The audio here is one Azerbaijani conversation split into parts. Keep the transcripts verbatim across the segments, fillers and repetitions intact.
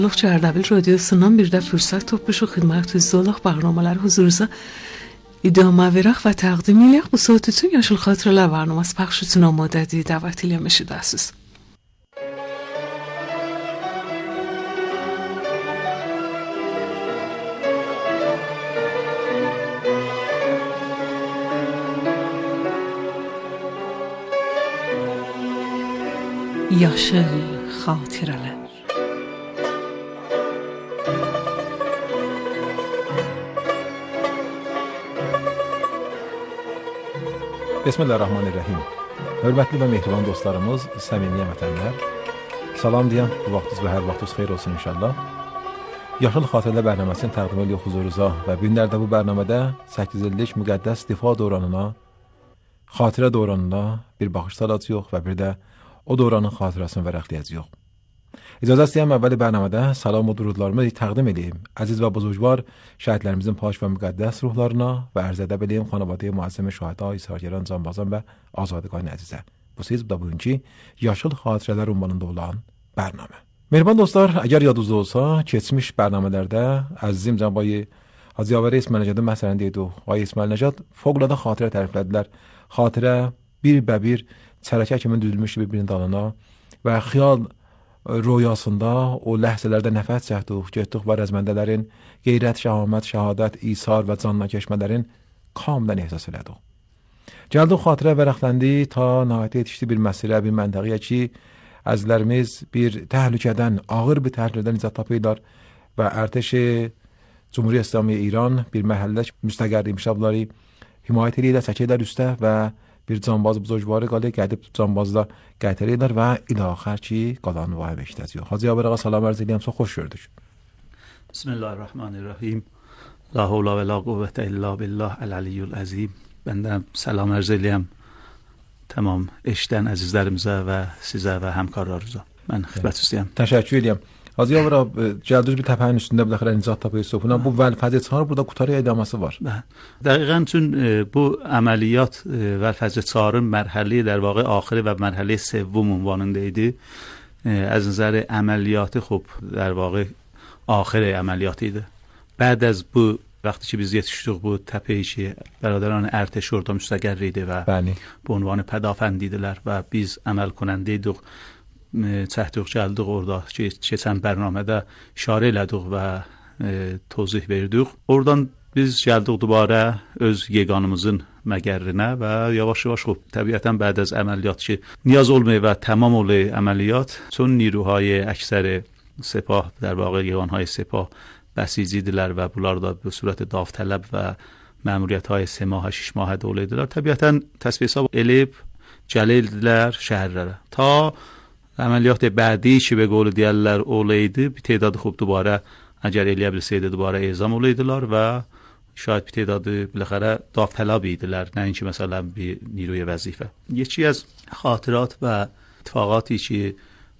Luqçı Ardabil Radiosu'ndan bir de fırsat topuşu xidmətinizdə proqramlar huzurunuza idame verək və təqdim edək. Bu saat üçün Yaşıl Xatirələr proqramı pəxş üçün amadədir. Dəvət eləmişsiniz. Yaşıl Xatirələr. Bismillahirrahmanirrahim. Hörmətli və mehriban dostlarımız, səmimi vətənlər, salam deyəm, bu vaxtınız və hər vaxtınız xeyir olsun inşallah. Yaşıl Xatirələr bərnaməsini təqdim edirik huzurunuza və bu günlərdə bu bərnamədə səkkiz illik müqəddəs difa dövranına, xatirə dövranına bir baxış salacağıq və bir də o dövranın xatirəsini vərəqləyəcəyik. İcazə istəyəm əvvəli bərnamədə salam və durudlarımı təqdim edeyim. Əziz və buzurgvar şəhidlərimizin pak və müqəddəs ruhlarına və ərz edə bileyim xanavadəyə müəzzəmi şəhida, İsargəran, Canbazan və Azadqan əzizə. Bu siz bu da bugünkü Yaşıl Xatirələr ünvanında olan bərnamə. Mehriban dostlar, əgər yadınızda olsa, keçmiş bərnamələrdə əzizim Cənab Hacı Yavər İsmail Nəcadın məsələni deydik. Ay İsmail Nəcad fövqəladə xatirə təriflədilər. Xatirə bir bəbir çərəkə kimi düzülmüş bir-birinin dalına və xiyal rüyasında o ləhzələrdə nəfəs çəkdik, getdik və rəzməndələrin qeyrət, şəhamət, şəhadət, isar və canla keçmələrin kamilən ehsas elədik. Gəldik xatirə vərəqləndi ta nəhayət yetişdi bir məsirə, bir məntəqəyə ki, əzizlərimiz bir təhlükədən, ağır bir təhlükədən nicat tapırlar və ərtəşi Cumhuriyyət İslamiyyə İran bir məhəllə müstəqərri imşabları himayət edirlər, çəkirlər üstə və bir canbaz buzurgvarı qalır, gəlib canbazla gətirirlər və ilaxər ki, qalanı vay beşdəziyor. Hacı Yavər ağa salam ərz edirəm, çox xoş gördük. Bismillahirrahmanirrahim. La havla və la quvvətə illa billah əl-əliyyül əzim. Bəndən salam ərz edirəm tamam eşdən əzizlərimizə və sizə və həmkarlarınıza. Mən xidmət istəyəm. Təşəkkür edirəm. Hacı Yavər ağa, gəldiniz bir təpənin üstündə bir dəxələ nicat tapıyorsunuz. Buna bu vəlfəzə çağır, burada qutarı edəması var. Dəqiqən üçün bu əməliyyat vəlfəzə çağırın mərhəli در واقع آخری و مرحله سوم عنوانında idi. از نظر عملیاتی خب در واقع آخر عملیات idi. بعد از bu وقتی که biz yetişdik bu təpəyə ki, برادران ارتش orada müstəqər idi və Bəli. Bu ünvanı pədafənd idilər və biz əməl کننده idik. çəkdik, gəldik orada ki, keçən bərnamədə işarə elədik və e, tozih verdik. Oradan biz gəldik dubara öz yeganımızın məgərrinə və yavaş-yavaş xub təbiətən بعد از əməliyyat ki, نیاز olmayı və tamam olmayı əməliyyat چون نیروهای اکثر سپاه در واقع یگانهای سپاه بسیجیدilər və bunlar da bu surət davtələb və məmuriyyətهای سه ماه شش ماه دوله idilər. Təbiətən təsvir hesab elib gəlildilər şəhərlərə. Ta əməliyyat بعدی ki به قول دیگرlər olaydı bir تعداد خوب دوباره اگر eləyə bilsəydi دوباره اعزام olaydılar və şayad bir تعداد بالاخره داوطلب idilər nəinki مثلا bir نیروی وظیفه. یکی از خاطرات و اتفاقاتی که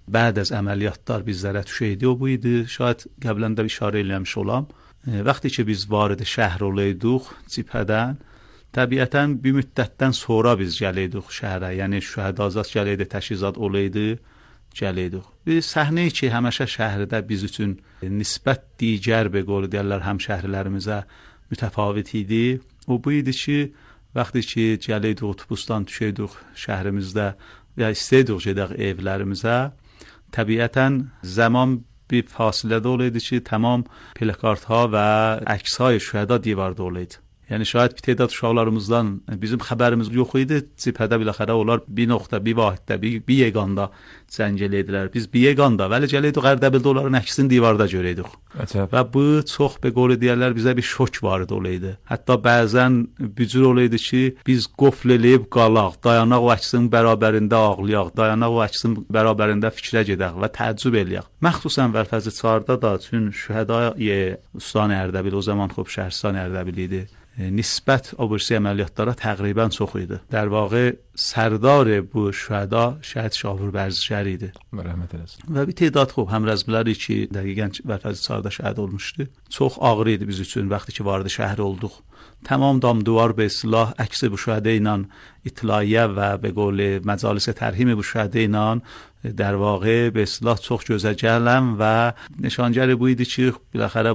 بعد از عملیاتlar bizlərə düşəydi o bu idi. Şayad qəbləndə işarə eləmiş olam. وقتی که biz vارد şəhər olaydıq cibhədən təbiətən bir müddətdən sonra biz gələydik şəhərə. Yəni şəhədazat gələydi, təşkizat olaydı. gələydik. Bir səhnə ki, həmişə şəhərdə biz üçün nisbət digər به قول deyirlər həmşəhrilərimizə mütəfavit idi. O bu idi ki, vaxtı ki gələydik otobusdan düşəydik şəhərimizdə və istəydik gedək evlərimizə. Təbiətən zaman bir fasilədə olaydı ki, tamam plakartها və əkshay şühəda divarda olaydı. Yəni şayad bir تعداد uşaqlarımızdan bizim xəbərimiz yox idi. Cibhədə biləxərə onlar bir nöqtə, bir vahiddə, bir, bir yeganda zəng elədilər. Biz bir yeganda vəli gələydik Ərdəbildə onların əksini divarda görəydik. Və bu çox be qolu deyərlər bizə bir şok vardı olaydı. Hətta bəzən bücür olaydı ki, biz qofl eləyib qalaq, dayanaq o əksin bərabərində ağlayaq, dayanaq o əksin bərabərində fikrə gedək və təəccüb eləyək. Məxsusən Vəlfəzli çarda da üçün şühədai Ustan Ərdəbil o zaman xub şəhərstان Ərdəbil idi. nisbət o birisi əməliyyatlara təqribən çox idi. در واقع سردار bu şühəda şəhid Şahur Bərzişəhər idi. Rəhmət eləsin. Və bir tədad xub həmrəzmiləri ki, dəqiqən Vərfəzi Çarda şəhid olmuşdu. Çox ağır idi biz üçün vaxtı ki vardı şəhər olduq. Tamam dam duvar به اصطلاح عکس bu şühədə ilə itlaiyə və به قول مجالس ترحیم bu şühədə ilə در واقع به اصطلاح çox gözə gələn və nişangər bu idi ki, biləxərə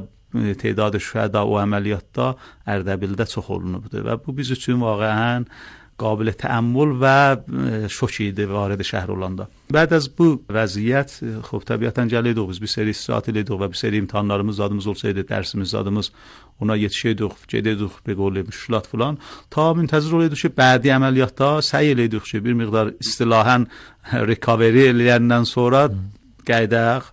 تعداد şühəda o əməliyyatda Ərdəbildə çox olunubdu və bu biz üçün واقعا قابل تأمل və şok idi vارد şəhər olanda. Bəd az bu vəziyyət xub təbiətən gəlirdik biz bir seri istirahat edirdik və bir seri imtahanlarımız zadımız olsaydı, dərsimiz zadımız ona yetişirdik, gedirdik به قول müşkilat falan. Ta müntəzir oluyorduk ki, bədi əməliyyatda səy edirdik ki, bir miqdar istilahan recovery eləyəndən sonra qaydaq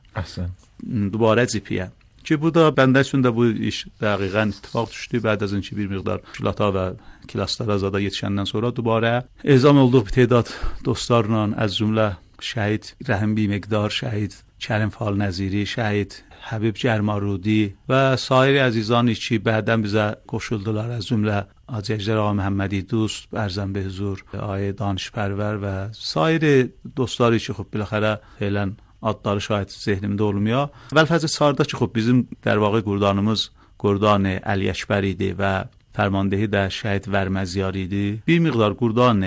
دوباره zipiyə. Ki bu da bəndə üçün də bu iş dəqiqən ittifaq düşdü. Bəd az önki bir miqdar müşkilata və klaslara zada yetişəndən sonra dubara ezam olduq bir tədad dostlarla, az cümlə şəhid Rəhim bi miqdar, şəhid Kərim Fal Nəziri, şəhid Həbib Gərmarudi və sair əzizani ki, bədən bizə qoşuldular, az cümlə Hacı Əcdər Ağa Məhəmmədi Dost, Ərzəm Behzur, Ayə Danışpərvər və sair dostları ki, xub biləxərə felən adları şahid zehnimdə olmuyor. Vəlfəzi Çarda ki, xub bizim در واقع qurdanımız Qurdan Əli Əkbər idi və fərmandehi də şəhid Vərməziyar idi. Bir miqdar Qurdan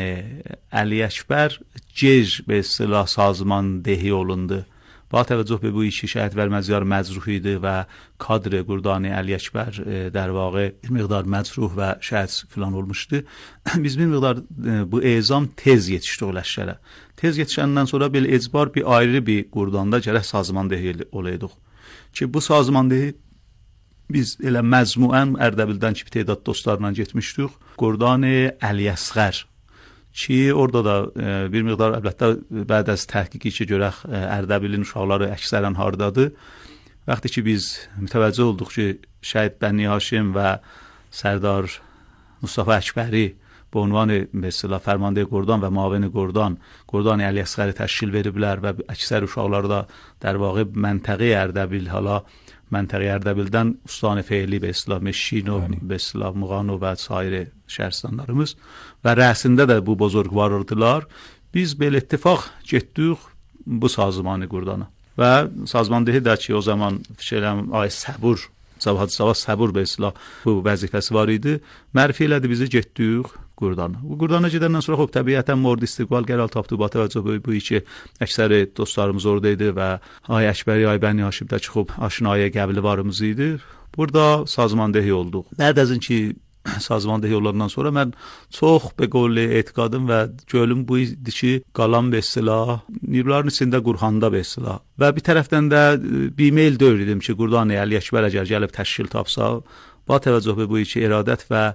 Əli Əkbər gec به اصطلاح سازماندهی olundu. با توجه به bu işi şəhid Vərməziyar məcruh idi və kadr Qurdan Əli Əkbər در واقع bir miqdar məcruh və şəhid filan olmuşdu. Biz bir miqdar bu ezam tez yetişdi o ləşkərə. Tez yetişəndən sonra belə ecbar bir ayrı bir Qurdanda gərək sazmandehi olaydıq. Ki bu sazmandehi biz elə məzmuən Ərdəbildən ki, tədad dostlarla getmişdik. Qurdan Əli Əsğər. Ki orada da e, bir miqdar əlbəttə bəd az təhqiqi ki, görək Ərdəbilin uşaqları əksərən hardadır. Vaxtı ki, biz mütəvəccüh olduq ki, şəhid Bəni Haşim və Sərdar Mustafa Əkbəri bu ünvan mesela fərmandehi Qurdan və mavini Qurdan, Qurdan Əli Əsğəri təşkil veriblər və əksər uşaqları da در واقع məntəqi Ərdəbil, hala məntəqi Ərdəbildən ustan feili به اصطلاح Meşin و به اصطلاح Muğan və sair şəhərstanlarımız və rəsində də bu bozorgvardılar. Biz belə ittifaq getdik bu sazmanı Qurdana və sazmandehi də ki, o zaman şeyləm ay Səbur Zavhad Sava Səbur به اصطلاح bu vəzifəsi var idi. Mərfi elədi bizi getdik Qurdana. Bu Qurdana gedəndən sonra xub təbiətən mord istiqbal gəral tapdı bu təvəccüh bu iki əksər dostlarımız orada idi və Ay Əkbəri, Ay Bəni Haşimdə ki, xub aşinaya qəbli varımız idi. Burada sazmandehi olduq. Bəd az ki sazmandehi olandan sonra mən çox be qolli etiqadım və gölüm bu idi ki, qalan be silah, nirlərin içində Qurxanda be silah. Və bir tərəfdən də bir mail döyürdüm ki, Qurdan Əli Əkbər əgər gəlib təşkil tapsa, ba təvəccüh bu iki iradət və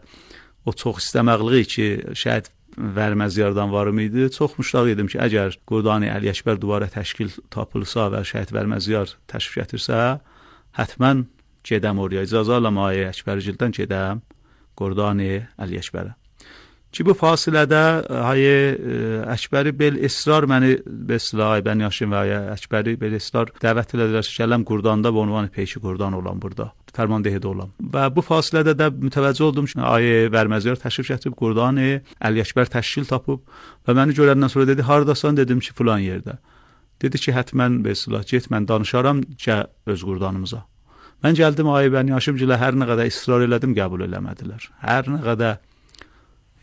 o çox istəməqliyi ki, şəhid Vərməziyardan varım idi. Çox müştaq idim ki, əgər Qurdan Əli Əkbər duvara təşkil tapılsa və şəhid Vərməziyar təşrif gətirsə, hətmən gedəm oraya. İcazə alam Ay Əkbərgildən gedəm Qurdan Əli Əkbərə. Ki bu fasilədə Ay Əkbəri bel israr məni be silah Ay Bəni Haşim və Ay Əkbəri bel israr dəvət elədilər ki, gələm Qurdanda bu ünvanı peyki Qurdan olan burada. Fərmandehidə olan. Və bu fasilədə də mütəvəccüh oldum ki, Ay Vərməziyar təşrif gətirib Qurdan Əli Əkbər təşkil tapıb və məni görəndən sonra dedi, hardasan? Dedim ki, filan yerdə. Dedi ki, hətmən be silah get, mən danışaram ki, öz Qurdanımıza. Mən gəldim Ay Bəni Haşimgilə hər nə qədər israr elədim, qəbul eləmədilər. Hər nə qədər,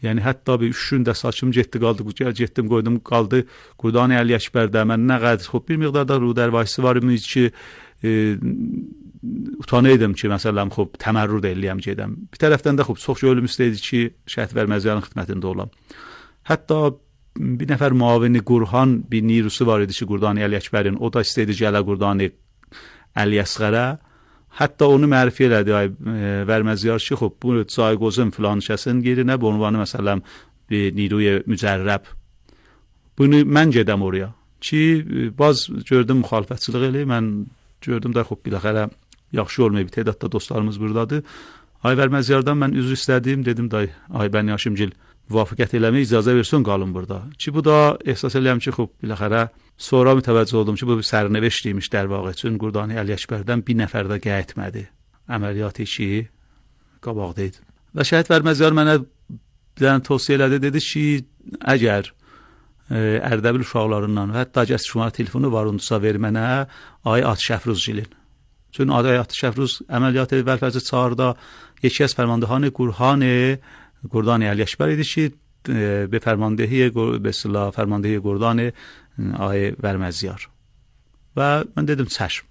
yəni hətta bir üç gündə saçım getdi, qaldı, getdim, qoydum, qaldı Qurdan Əli Əkbərdə. Mən nə qədər, xub bir miqdarda rudərvayisi var imiş ki, e, utanıydım ki, məsələn, xub təmərrüd eləyəm gedəm. Bir tərəfdən də xub çox gönlüm istəyirdi ki, şəhid Vərməziyarın xidmətində olam. Hətta bir nəfər muavini Qurxan bir nirusu var idi ki, Qurdan Əli Əkbərin, o da istəyirdi gələ Qurdan Əli Əsğərə. Hətta onu mərfi elədi Ay Vərməziyar ki, xub bu cayqozun filan şəsin yerinə bu ünvanı məsələn bir niruy mücərrəb. Bunu mən gedəm oraya. Ki, baz gördüm müxalifətçilik eləyir, mən gördüm də xub biləxərə yaxşı olmayıb, tədadda dostlarımız buradadır. Ay Vərməziyardan mən üzr istədim, dedim da Ay Bəni Haşimgil müvafiqət eləmək icazə versin qalın burada. Ki bu da ehsas eləyəm ki, xub biləxərə sonra mütəvəccüh oldum ki, bu bir sərnəveşt imiş در واقع üçün Qurdan Əli Əkbərdən bir nəfər də qət etmədi. Əməliyyatı ki, qabaqda idi. و شاید ورمزیار mənə bilən tövsiyə elədi, dedi ki, əgər Ərdəbil uşaqlarından və hətta əgər şuma telefonu var ondusa ver mənə ay Atişəfruz gilin. Çünki ay Atişəfruz əməliyyat vəlfəzi çağırda یکی از فرماندهان گروهان گردان علی اکبر idi ki به فرماندهی به اصطلاح فرماندهی گردان آقای ورمزیار و من dedim çəşm.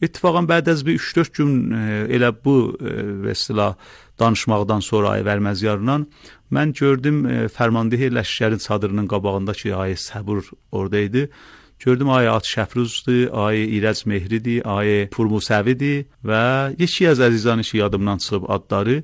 İttifaqan بعد از bir üç dörd gün elə bu به اصطلاح danışmaqdan sonra ay Vərməziyarla mən gördüm fərmandehi ləşkərin çadırının qabağındakı ay Səbur oradaydı. Gördüm ay Atişəfruzdur, ay İrəc Mehridir, ay Purmusəvidir və yeki az əzizanı ki yadımdan çıxıb adları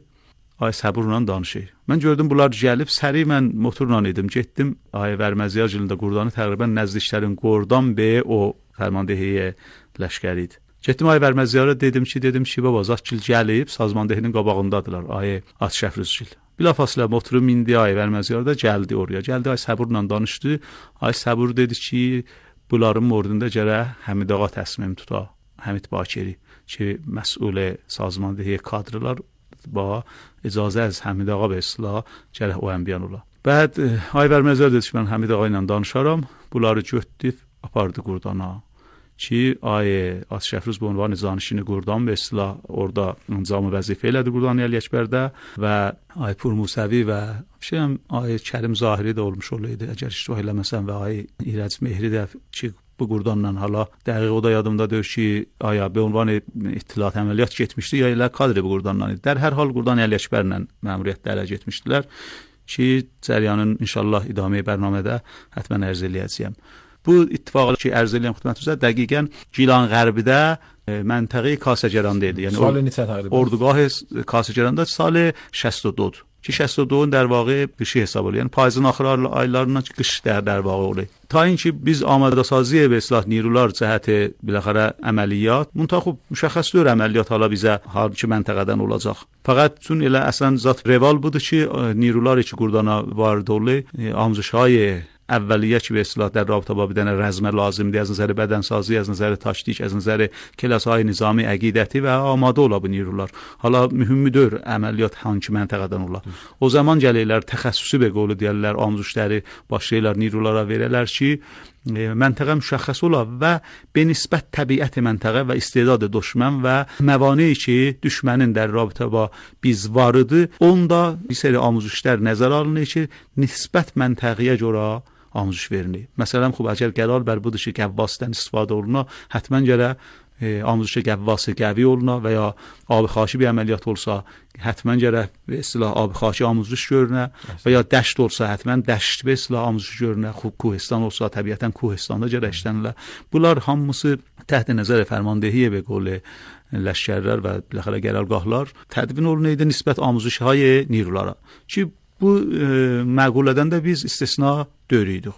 ay Səburla danışır. Mən gördüm bunlar gəlib, səri mən motorla idim, getdim ay Vərməziyar gilində Qurdanı təqribən nəzdiklərin Qordan B o fərmandehiyə ləşkəridir. Getdim ay Vərməziyara dedim ki, dedim ki, baba Zatgil gəlib, sazmandehinin qabağındadılar, ay Atişəfruzgil. Bilafasılə motoru mindi ay Vərməziyar da gəldi oraya. Gəldi ay Səburla danışdı. Ay Səbur dedi ki, bunların mordunda gərək Həmid ağa təsmim tuta, Həmid Bakiri ki, məsul sazmandehi kadrlar با اجازه از حمید آقا به اصلاح gərək o ənbiyan ola. بعد ay Vərməziyar dedi ki, mən Həmid ağa ilə danışaram. Bunları götdüb apardı Qurdana. Ki ay Atişəfruz bu ünvan zanişini Qurdan به اصلاح orada incamı vəzifə elədi Qurdan Əli Əkbərdə və ay Purmusəvi və şeyəm ay Kərim Zahiri də olmuş olaydı. Əgər iştibah eləməsəm və ay İrəc Mehri də ki bu Qurdanla hala dəqiq o da yadımda deyir ki, aya be ünvan ittilat əməliyyat getmişdi ya elə kadri bu Qurdanla idi. Dər hər hal Qurdan Əli Əkbərlə məmuriyyətdə ələ getmişdilər ki, cəryanın inşallah idamə bərnamədə həttəmən ərz eləyəcəyəm. Bu ittifaqı ki ərz eləyəm xidmətinizə dəqiqən Gilan Qərbidə məntəqə Kasəgəranda idi. Yəni سال neçə təqribən? Ordugah Kasəgəranda sal شصت و دو ki şصت و دو در واقع qışı hesab olur. Yəni payızın axır aylarından qış der در واقع olur. Ta inki biz amadə saziyə və islah nirular cəhəti biləxərə əməliyyat, müntəxib müşəxəs deyil əməliyyat hala bizə hariki məntəqədən olacaq. Fəqət çün elə əslən zat reval budur ki, nirular ki Qurdana vardı olur, amzuşay اولیه که به اصطلاح در رابطه با بدن رزم لازم دی از نظر بدنسازی، از نظر تاکتیک، از نظر کلاس‌های نظامی عقیدتی و آماده ola bu nirular. Hala mühümdür əməliyyat hangi məntəqədən ola. O zaman gəlirlər təxəssüsü be qolu deyirlər, amzuşları başlayırlar nirulara verələr ki, məntəqə müşəxəs ola və benisbət təbiət məntəqə və istedad düşmən və məvani ki, düşmənin در رابطه با biz varıdı, onda bir seri amuzuşlar nəzərə alınır ki, nisbət məntəqəyə görə آموزش verilir. Məsələn, xub əgər qərar bər budur ki, qəvvasıdan istifadə oluna, həttəmən gərək آموزش qəvvası qəvi oluna və ya abi xaşi bir əməliyyat olsa, həttəmən gərək və istilah abi xaşi آموزش görünə və ya dəşt olsa, həttəmən dəşt və istilah آموزش görünə, xub Kuhistan olsa, təbiətən Kuhistanda gərək işlənirlər. Bunlar hamısı təhت nəzər fərmandehiyə və qolu ləşkərlər və biləxərə qərargahlar tədvin olunaydı nisbət آموزش‌های نیروlara. Ki bu e, məqulədən də biz istisna döyürük.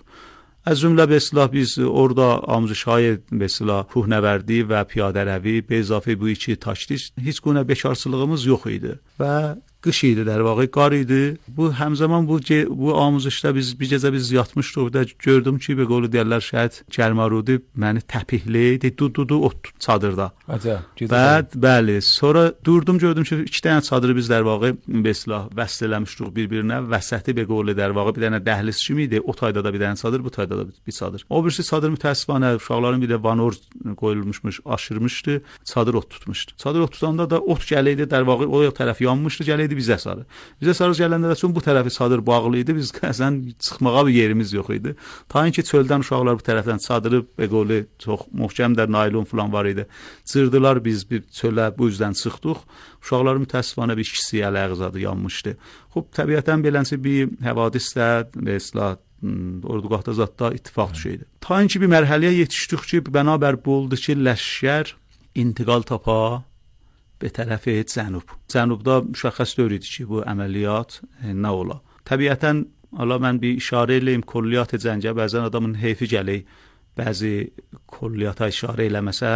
از جمله به اصطلاح biz orada آموزش‌های به اصطلاح کوهنوردی و پیاده‌روی به اضافه به چی تاکتیک هیچ گونه bekarçılığımız yox idi və qış idi در واقع qar idi. Bu həmzaman bu bu آموزشda biz bir gecə biz yatmışdıq da gördüm ki, be qolu deyirlər şəhid Kərmarudi məni təpihləydi, dududu ot çadırda. Acə. Bəd, bəli. Sonra durdum gördüm ki, iki dənə çadırı biz در واقع به اصطلاح vəsl eləmişdik bir-birinə. Vəsəti be qolu در واقع bir dənə dəhliz kimi idi. O tayda da bir dənə çadır, bu tayda da bir çadır. O birisi çadır mütəəssifanə uşaqların bir də vanor qoyulmuşmuş, aşırmışdı. Çadır ot tutmuşdu. Çadır ot tutanda da ot gələydi در واقع o tərəf yanmışdı, gələydi bizə sarı. Bizə sarı gələndə də çün bu tərəfi çadır bağlı idi. Biz əsən çıxmağa bir yerimiz yox idi. Ta ki çöldən uşaqlar bu tərəfdən çadırı be qolu çox möhkəmdir, naylon falan var idi. Çırdılar biz bir çölə bu üzdən çıxdıq. Uşaqların mütəəssifanə bir ikisi əlaqəzadı yanmışdı. Xub təbiətən beləncə bir həvadisdə və islah ordugahda zatda ittifaq düşəydi. Ta ki bir mərhələyə yetişdik ki, bənabər bu oldu ki, ləşkər intiqal tapa به طرف جنوب. جنوبda müşəxəs deyildi ki, bu əməliyyat e, nə ola. Təbiətən Allah mən bir işarə eləyim külliyyat cəngə bəzən adamın heyfi gəlir. Bəzi külliyyata işarə eləməsə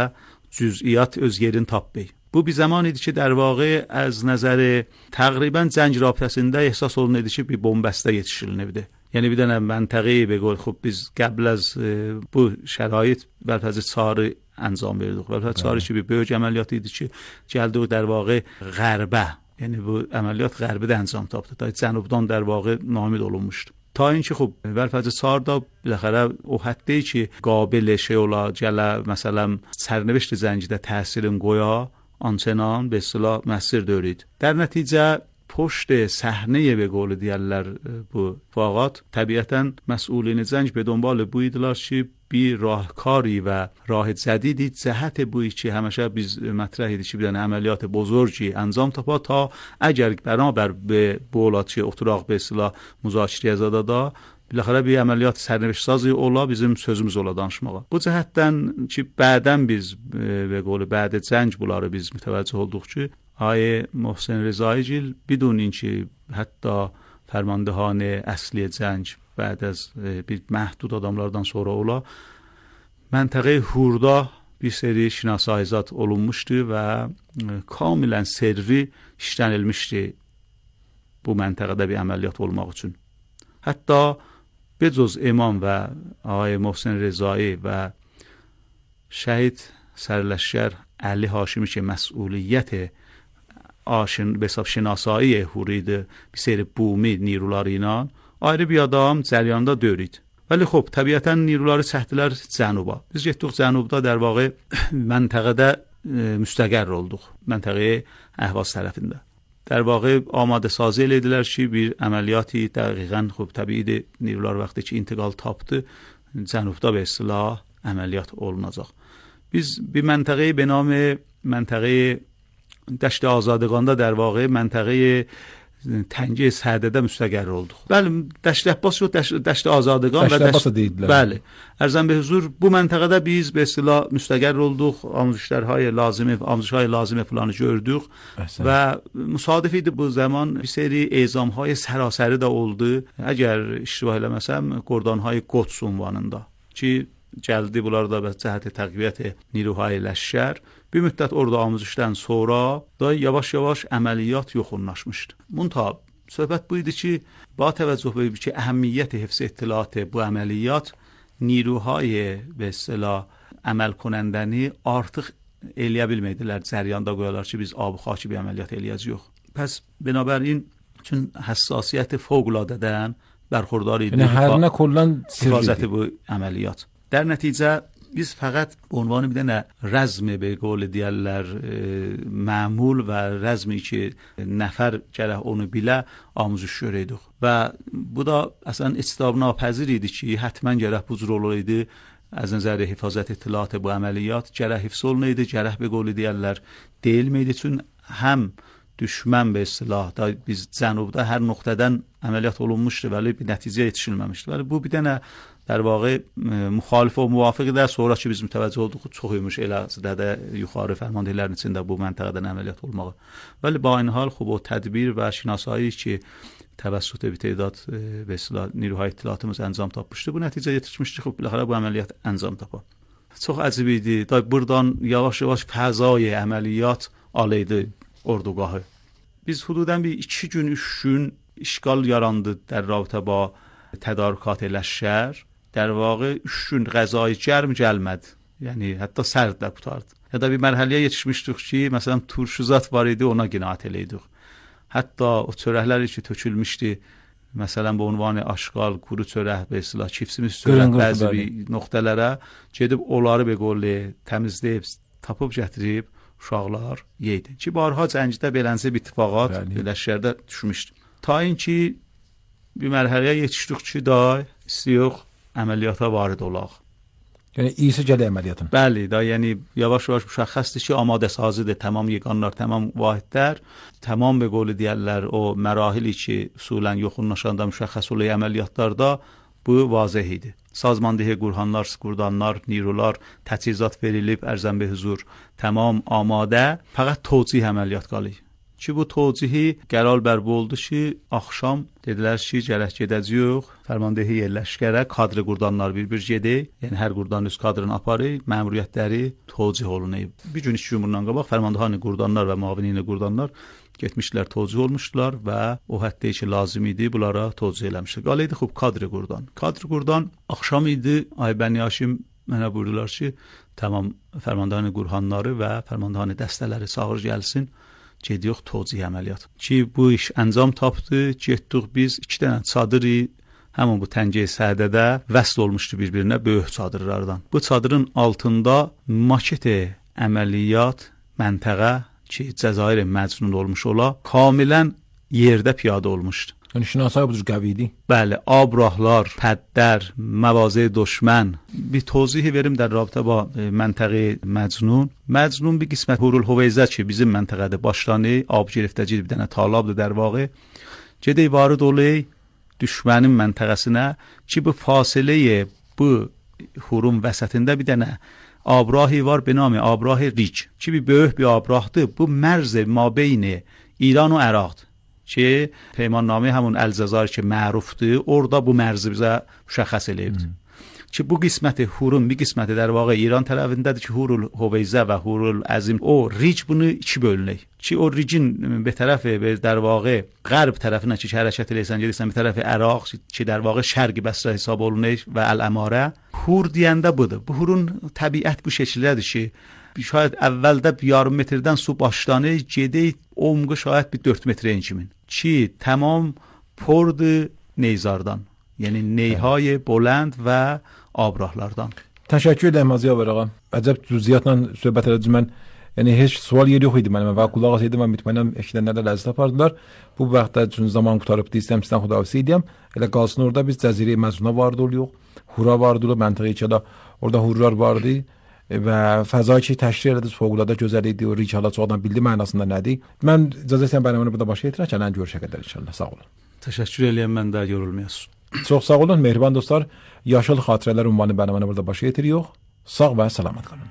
cüz'iyyat öz yerini tapmır. Bu bir zaman idi ki, در واقع از نظر تقریبا جنگ رابطəsində ehsas olunurdu ki, bir bombəstə yetişilinirdi. Yəni bir dənə məntəqəyə be qol xub biz qəbl az e, bu şərait vəlfəzi çarı انجام verdik. Vəlfəzi çarı ki, bir böyük əməliyyat idi ki, gəldik در واقع غربə یعنی bu əməliyyat Qərbidə əncam tapdı. Da Cənubdan در واقع ناامید olunmuşdu. تا اینکه خب ولفظ ساردا بالاخره o həddə ki قابل şey ola gələ məsələn sərnişin zəncidə təsirin qoya آنچنان به اصطلاح مؤثر دارید. در نتیجه پشت صحنه به قول دیگرler bu فاقات طبیعتاً مسئولین زنج به دنبال بویدلار چی بی راهکاری و راه جدیدی جهت بوی چی همیشه biz مطرحی چی بدن عملیات بزرگی انجام تاپا تا اگر بنابر به بولاتçı oturaq به اصطلاح müzakirəyə zadada بالاخره bir əməliyyat sərnişin sazı ola bizim sözümüz ola danışmağa. Bu cəhətdən ki bədən biz və qolu bədə cəng bunları biz mütəvəccüh olduq ki آیه محسن رضایی‌گil بدون اینکه حتی فرماندهان اصلی جنگ بعد از bir محدود adamlardan sonra ola منطقه هوردا bir seri şinasayizat olunmuşdu və kamilən servi işlənilmişdi bu məntəqədə bir əməliyyat olmaq üçün. Hətta بجز امام و آقای محسن رضایی و شهید سرلشکر علی هاشمی که مسئولیت آشن به حساب شناسایی هورید bir seri bumi نیروları ilə ayrı bir adam cəryanında dörید. ولی خب طبیعتا نیروları çəkdilər cənuba. Biz getdik cənubda در واقع məntəqədə müstəqər olduq. Məntəqəyə Əhvaz tərəfində. در واقع آماده سازی elədilər ki bir əməliyyatı dəqiqən خب təbii نیروlar vaxtı ki intiqal tapdı cənubda به اصطلاح əməliyyat olunacaq. Biz bir məntəqəyi به نام منطقه دشت آزادگاندا در واقع منطقه تنگه سردده مستقر olduq. Bəli, Dəşt Əbbas yox, Dəşt Azadəqan və Dəşt deyillər. Bəli. Ərzən be huzur bu məntəqədə biz به اصطلاح müstəqər olduq, amuzişlərهای lazımi, amuzişهای lazımi falanı gördük və müsadif idi bu zaman bir seri ezamهای sərasəri də oldu. Əgər iştibah eləməsəm, Qordanهای Qods ünvanında ki gəldi bunlar da به cəhət təqviyyət نیروهای لشکر bir müddət orada amuzişdən sonra da yavaş-yavaş əməliyyat yoxunlaşmışdı. Munta söhbət bu idi ki, با توجه به که اهمیت حفظ اطلاعات bu əməliyyat نیروهای به اصطلاح əməl کنندنی artıq eləyə bilmədilər. Cəryanda qoyarlar ki, biz ab xaki bir əməliyyat eləyəcəyik. Pəs binabərin üçün həssasiyyət fövqəladadən برخوردار idi. Yəni hər nə kollan sirri bu əməliyyat. در نتیجه biz fəqət عنوان bir dənə rəzmi به قول دیگرlər معمول və rəzmi ki nəfər gərək onu bilə amuzüş görəydik. Və bu da əslən istisna napəzir idi ki, həttəmən gərək bu cür olaydı. از نظر حفاظت اطلاعات bu əməliyyat gərək hifz olunaydı, gərək به قول دیگرlər deyilməydi. Çün həm düşmən به اصطلاح da biz cənubda hər nöqtədən əməliyyat olunmuşdu ولی bir nəticəyə yetişilməmişdi. ولی bu bir dənə در واقع مخالف و موافق در sonra ki biz mütəvəccüh olduq çox imiş eləcədə də yuxarı fərmandehlərin içində bu məntəqədən əməliyyat olmağı. ولی با این حال خب o tədbir və şinasایی ki توسط bir تعداد به اصطلاح نیروهای اطلاعاتımız انجام tapmışdı. Bu nəticə yetişmişdi. خب بالاخره bu əməliyyat انجام tapa. Çox əcib idi. Da buradan yavaş-yavaş fəzai əməliyyat alaydı ordugahı. Biz hududan bir iki gün, üç gün işgal yarandı در رابطه با تدارکات لشکر. در واقع üç gün غذای گرم gəlmədi. Yəni hətta sərd də qutardı. Ya da bir mərhələyə yetişmişdik ki, məsələn turşuzat var idi, ona qinaət eləydik. Hətta o çörəklər ki tökülmüşdü, məsələn bu ünvanı aşqal, quru çörək, və islah çipsimiz çörək bəzi bir nöqtələrə gedib onları be qolli təmizləyib, tapıb gətirib uşaqlar yeydi. Ki barha cəngdə belənsə bir ittifaqat lişkərdə düşmüşdü. Ta inki bir mərhələyə yetişdik ki, da istiyox əməliyyata varid olaq. Yəni iyisi gələ əməliyyatın. Bəli, da yəni yavaş-yavaş müşəxəsdir ki, amadə sazıdır, tamam yeganlar, tamam vahidlər, tamam be qolu deyərlər o mərahili ki, usulən yoxunlaşanda müşəxəs olan əməliyyatlarda bu vazih idi. Sazmandehi qurhanlar, skurdanlar, nirular, təchizat verilib, ərzən be huzur, tamam amadə, fəqət tocih əməliyyat qalır. Ki bu tocihi qərar bər oldu ki, axşam dedilər ki, gərək gedəcəyik, fərmandehi yerləşkərə, kadri qurdanlar bir-bir gedək, yəni hər qurdan öz kadrını aparır, məmuriyyətləri tocih olunayıb. Bir gün iki gün bundan qabaq fərmandehani qurdanlar və muavinini qurdanlar getmişlər, tocih olmuşdular və o həddə ki, lazım idi, bunlara tocih eləmişdir. Qalıydı xub kadri qurdan. Kadri qurdan axşam idi, Aybəni Haşim mənə buyurdular ki, tamam fərmandehani qurhanları və fərmandehani dəstələri çağır gəlsin, Gediyox tozih əməliyyat. Ki bu iş əncam tapdı. Getdik biz iki dənə çadırı həmin bu təngəyə sədədə vəsl olmuşdu bir-birinə böyük çadırlardan. Bu çadırın altında maket əməliyyat məntəqə ki Cəzair Məcnun olmuş ola, kamilən yerdə piyada olmuşdu. Yəni şinasay bu cür qəvi idi. Bəli, abrahlar, pəddər, məvazə düşmən. Bir tozih verim در رابطه با منطقه مجنون. مجنون bir qismət Hurul Huveyzə ki bizim məntəqədə başlanı, ab giriftəcil bir dənə talabdır در واقع. Gedək varid olay düşmənin məntəqəsinə ki bu fasiləyə bu Hurun vəsətində bir dənə abrahi var به نام abrah ریچ ki bir böyük bir abrahdır. Bu mərz mabeyn ایران و عراق که پیمان نامه همون الجزایر که معروفdır orada bu mərzi bizə müşəxəs eləyibdir. Ki bu qisməti Hurun bir qisməti در واقع İran tərəfindədir ki Hurul Huveyzə və Hurul Əzim o ric bunu iki bölünək. Ki o ricin bir tərəfi bir در واقع qərb tərəfinə ki hərəkət eləyirsən gedirsən bir tərəfi Əraq ki در واقع şərqi Bəsrə hesab olunur və Əl-Əmarə. Hur deyəndə budur. Bu Hurun təbiət bu şəkildədir ki şayad əvvəldə yarım metrdən su başlanır, gedək umğu şayad bir dörd metrə kimin. Ki tamam pordu neyzardan. Yəni neyhay بلند və abrahlardan. Təşəkkür edirəm Ziyaver ağa. Əcəb cüziyyatla söhbət elədim mən. Yəni heç sual yeri yox idi mənim və qulaq asaydım və mütmənnən eşidənlər də ləzzət apardılar. Bu vaxtda üçün zaman qutarıbdı, istəyirəm sizdən xudahafizlik edəm. Elə qalsın orada biz Cəzirə Məcnuna vardı oluyor. Hura vardı oluyor, məntəqə ki orada hurlar vardı. Və fəza ki təşkil elədi, fövqəladə gözəl idi. O ric hala çoxdan bildi mənasında nədir. Mən icazə istəyirəm bərnaməni burada başa yetirək. Gələn görüşə qədər inşallah. Sağ olun. Təşəkkür edirəm, mən də yorulmayasın. Çox sağ olun mehriban dostlar. Yaşıl xatirələr ünvanı bərnaməni burada başa yetiririk. Sağ və salamat qalın.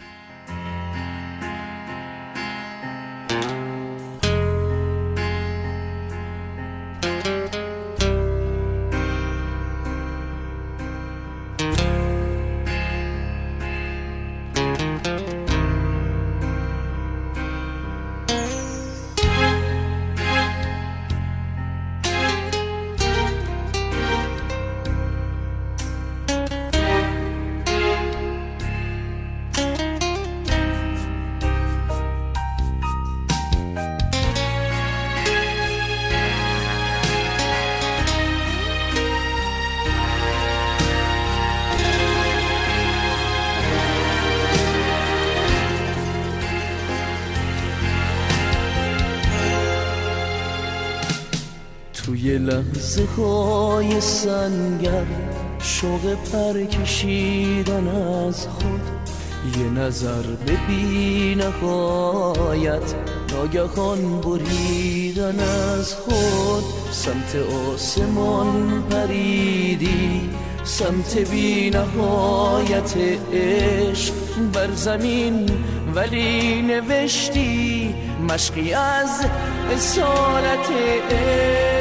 توی لحظه های سنگر شوق پر کشیدن از خود یه نظر به بی نهایت ناگهان بریدن از خود سمت آسمان پریدی سمت بی نهایت عشق بر زمین ولی نوشتی مشقی از اصالت عشق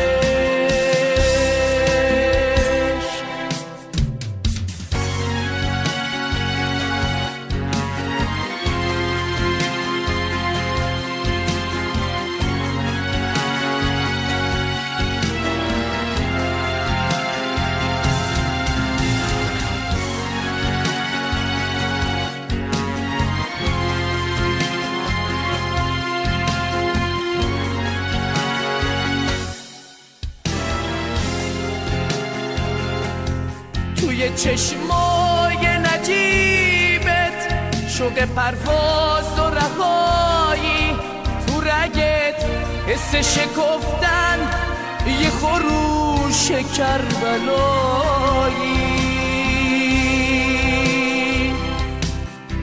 توی چشمای نجیبت شوق پرواز و رهایی تو رگت حس شکفتن یه خروش کربلایی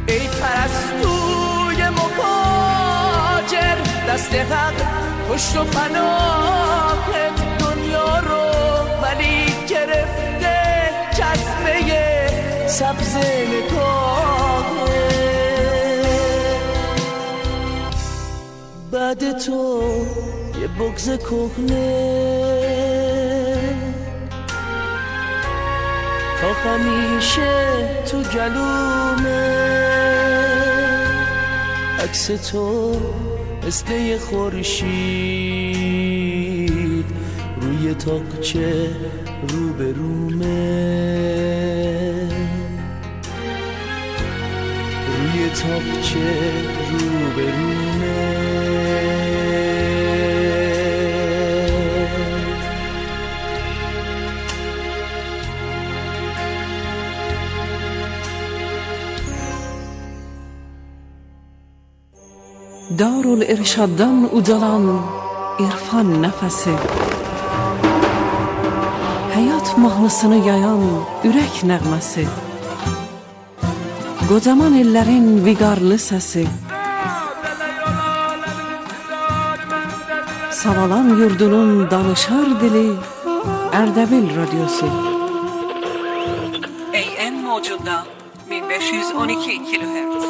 ای پرستوی مهاجر دست حق پشت و پناهت دنیا رو ولی گرفته جذبه سبز نگاهه بعد تو یه بغض کهنه تا همیشه تو گلومه عکس تو مثل یه خورشید روی تاقچه رو به رومه روی تاقچه رو به رومه yol irşaddan ucalan irfan nəfəsi, həyat mahnısını yayan ürək nəğməsi, qocaman ellərin viqarlı səsi, Savalan yurdunun danışar dili Ərdəbil radyosu. A M mevcudda bin beş yüz on iki kilohertz,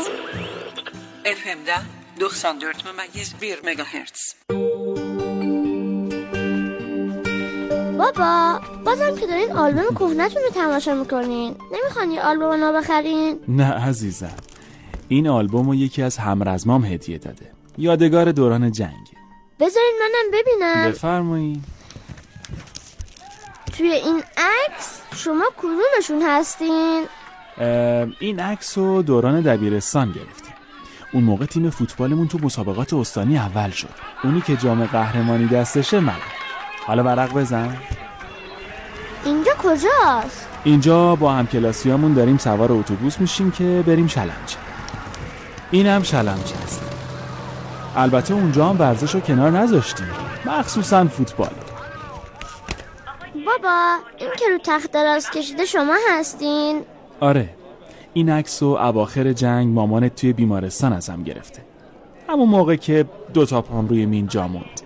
F M'da doksan dört memeyiz bir megahertz. بابا بازم که دارین آلبوم کهنه‌تون رو تماشا میکنین، نمیخوان یه آلبوم نو بخرین؟ نه عزیزم، این آلبوم رو یکی از همرزمام هدیه داده، یادگار دوران جنگ. بذارین منم ببینم. بفرمایید. توی این عکس شما کدومشون هستین؟ این عکس رو دوران دبیرستان گرفتیم. اون موقع تیم فوتبالمون تو مسابقات استانی اول شد. اونی که جام قهرمانی دستشه منم. حالا ورق بزن. اینجا کجاست؟ اینجا با همکلاسیامون داریم سوار اتوبوس میشیم که بریم شلمچه. اینم شلمچه است. البته اونجا هم ورزش رو کنار نذاشتیم، مخصوصا فوتبال. بابا این که رو تخت دراز کشیده شما هستین؟ آره، این عکس رو اواخر جنگ مامانت توی بیمارستان ازم گرفته، همون موقع که دوتا پام روی مین جا موند.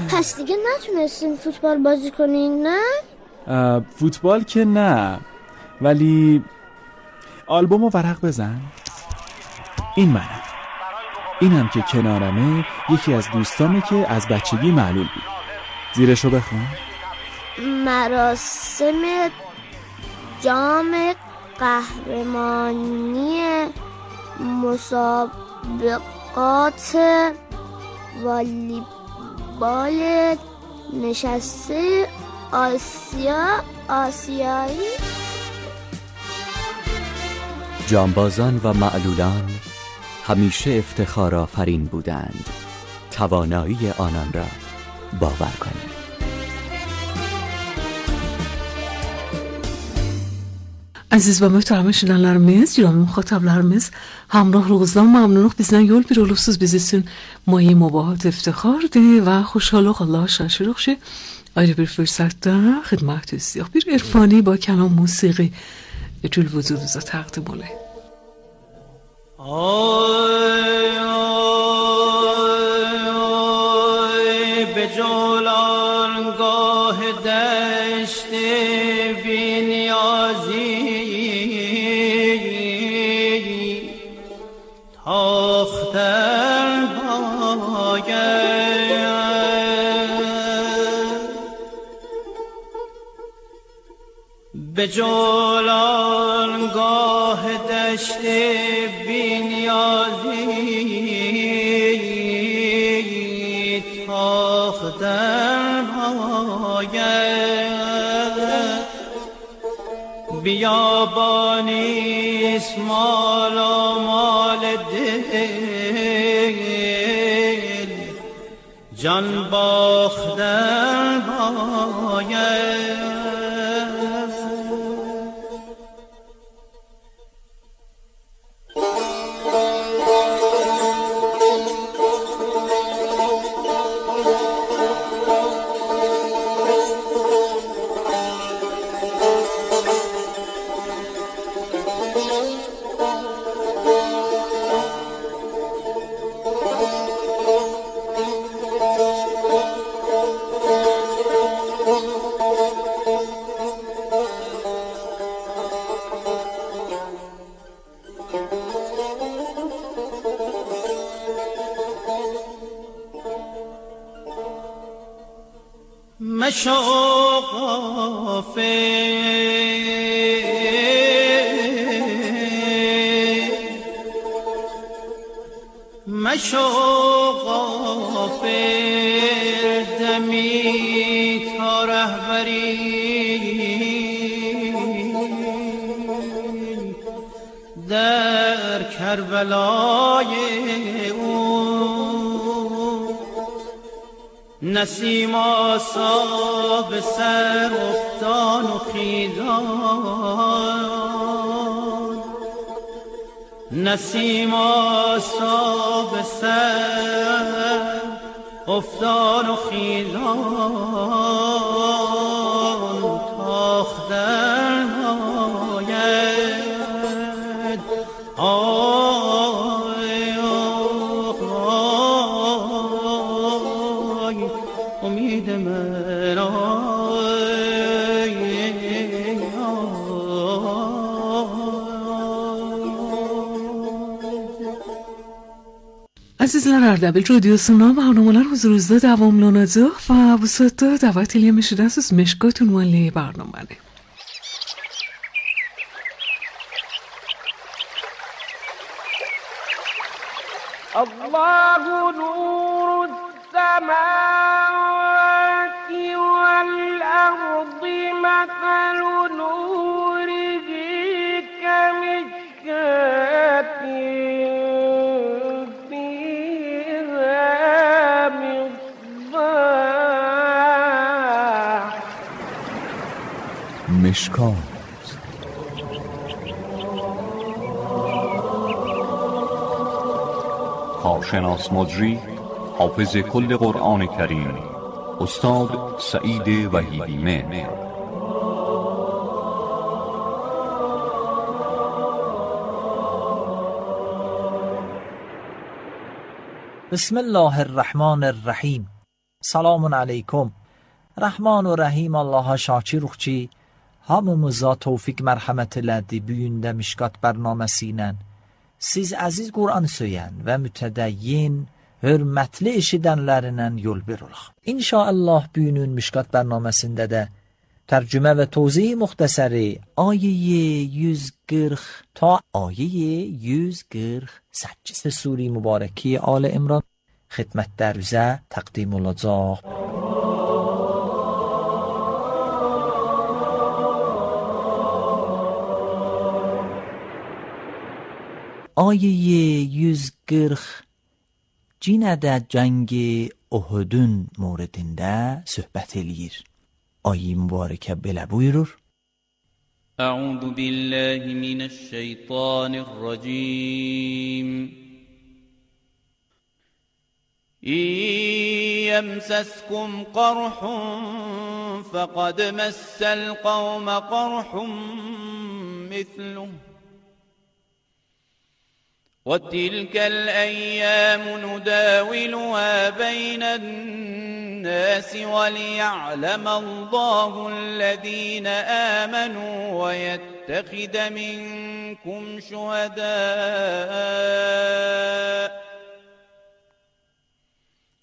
پس دیگه نتونستین فوتبال بازی کنین نه؟ فوتبال که نه، ولی آلبوم رو ورق بزن. این منم، اینم که کنارمه یکی از دوستامه که از بچگی معلول بود. زیرشو بخون. مراسم جام قهرمانی مسابقات والیبال نشسته آسیا آسیایی. جانبازان و معلولان همیشه افتخار آفرین بودند. توانایی آنان را باور کنید. Aziz və möhtərəm eşidənlərimiz, cürəmi müxatablarımız, Hamrah Roğuzdan məmnunluq bizdən yol bir olubsuz biz üçün mayi mübahat iftixardır və xoşalıq Allah şaşırıq ki ayrı bir fürsətdə xidmətinizdəyik. Bir irfani با کلام موسیقی جل وجودunuzda təqdim olayım. آی آی آی به جولانگاه دشت بی نیازی تاختن باید به جولانگاه دشت بی نیازی تاختن باید بیابانیست مال و مال دل جان باختن باید. مشو غافل مشو غافل دمی تا رهبری در کربلای نسیم آسا به سر افتان و خیزان نسیم آساب سر افتان و خیزان تاختن آید آی آی امید من آی Azizler Ardabil Radyosu'na barnamalar huzurunuzda davomlanadi va bu soatda da'vat etilmishidasiz Meshkot unvonli barnomani. Allahu nurus samawati wal ardi mathalu nurihi kamishkatin مشکات کارشناس مجری حافظ کل قرآن کریم استاد سعید وحیدی مهر. بسم الله الرحمن الرحیم. Selamun aleyküm. Rahman ve Rahim Allah'a şakir ruhçi, hamımıza tevfik merhamet elədi büyündə Mişkat bərnaməsi ilə. Siz əziz Qur'an söyən və mütədəyyin, hörmətli eşidənlərindən yol veririk. İnşallah büyünün Mişkat bərnaməsində də tərcümə və tozih muxtəsəri ayeyi yüz qırx ta ayeyi yüz qırx səkkiz suri mübarəki Al İmran xidmətlərinizə təqdim olacaq. آیه yüz qırx cinədə cəngi Uhudun موردində söhbət eləyir. Ayə mübarəkə belə buyurur. أعوذ بالله من الشيطان الرجيم إن يمسسكم قرح فقد مس القوم قرح مثله وتلك الأيام نداولها بين الناس وليعلم الله الذين آمنوا ويتخذ منكم شهداء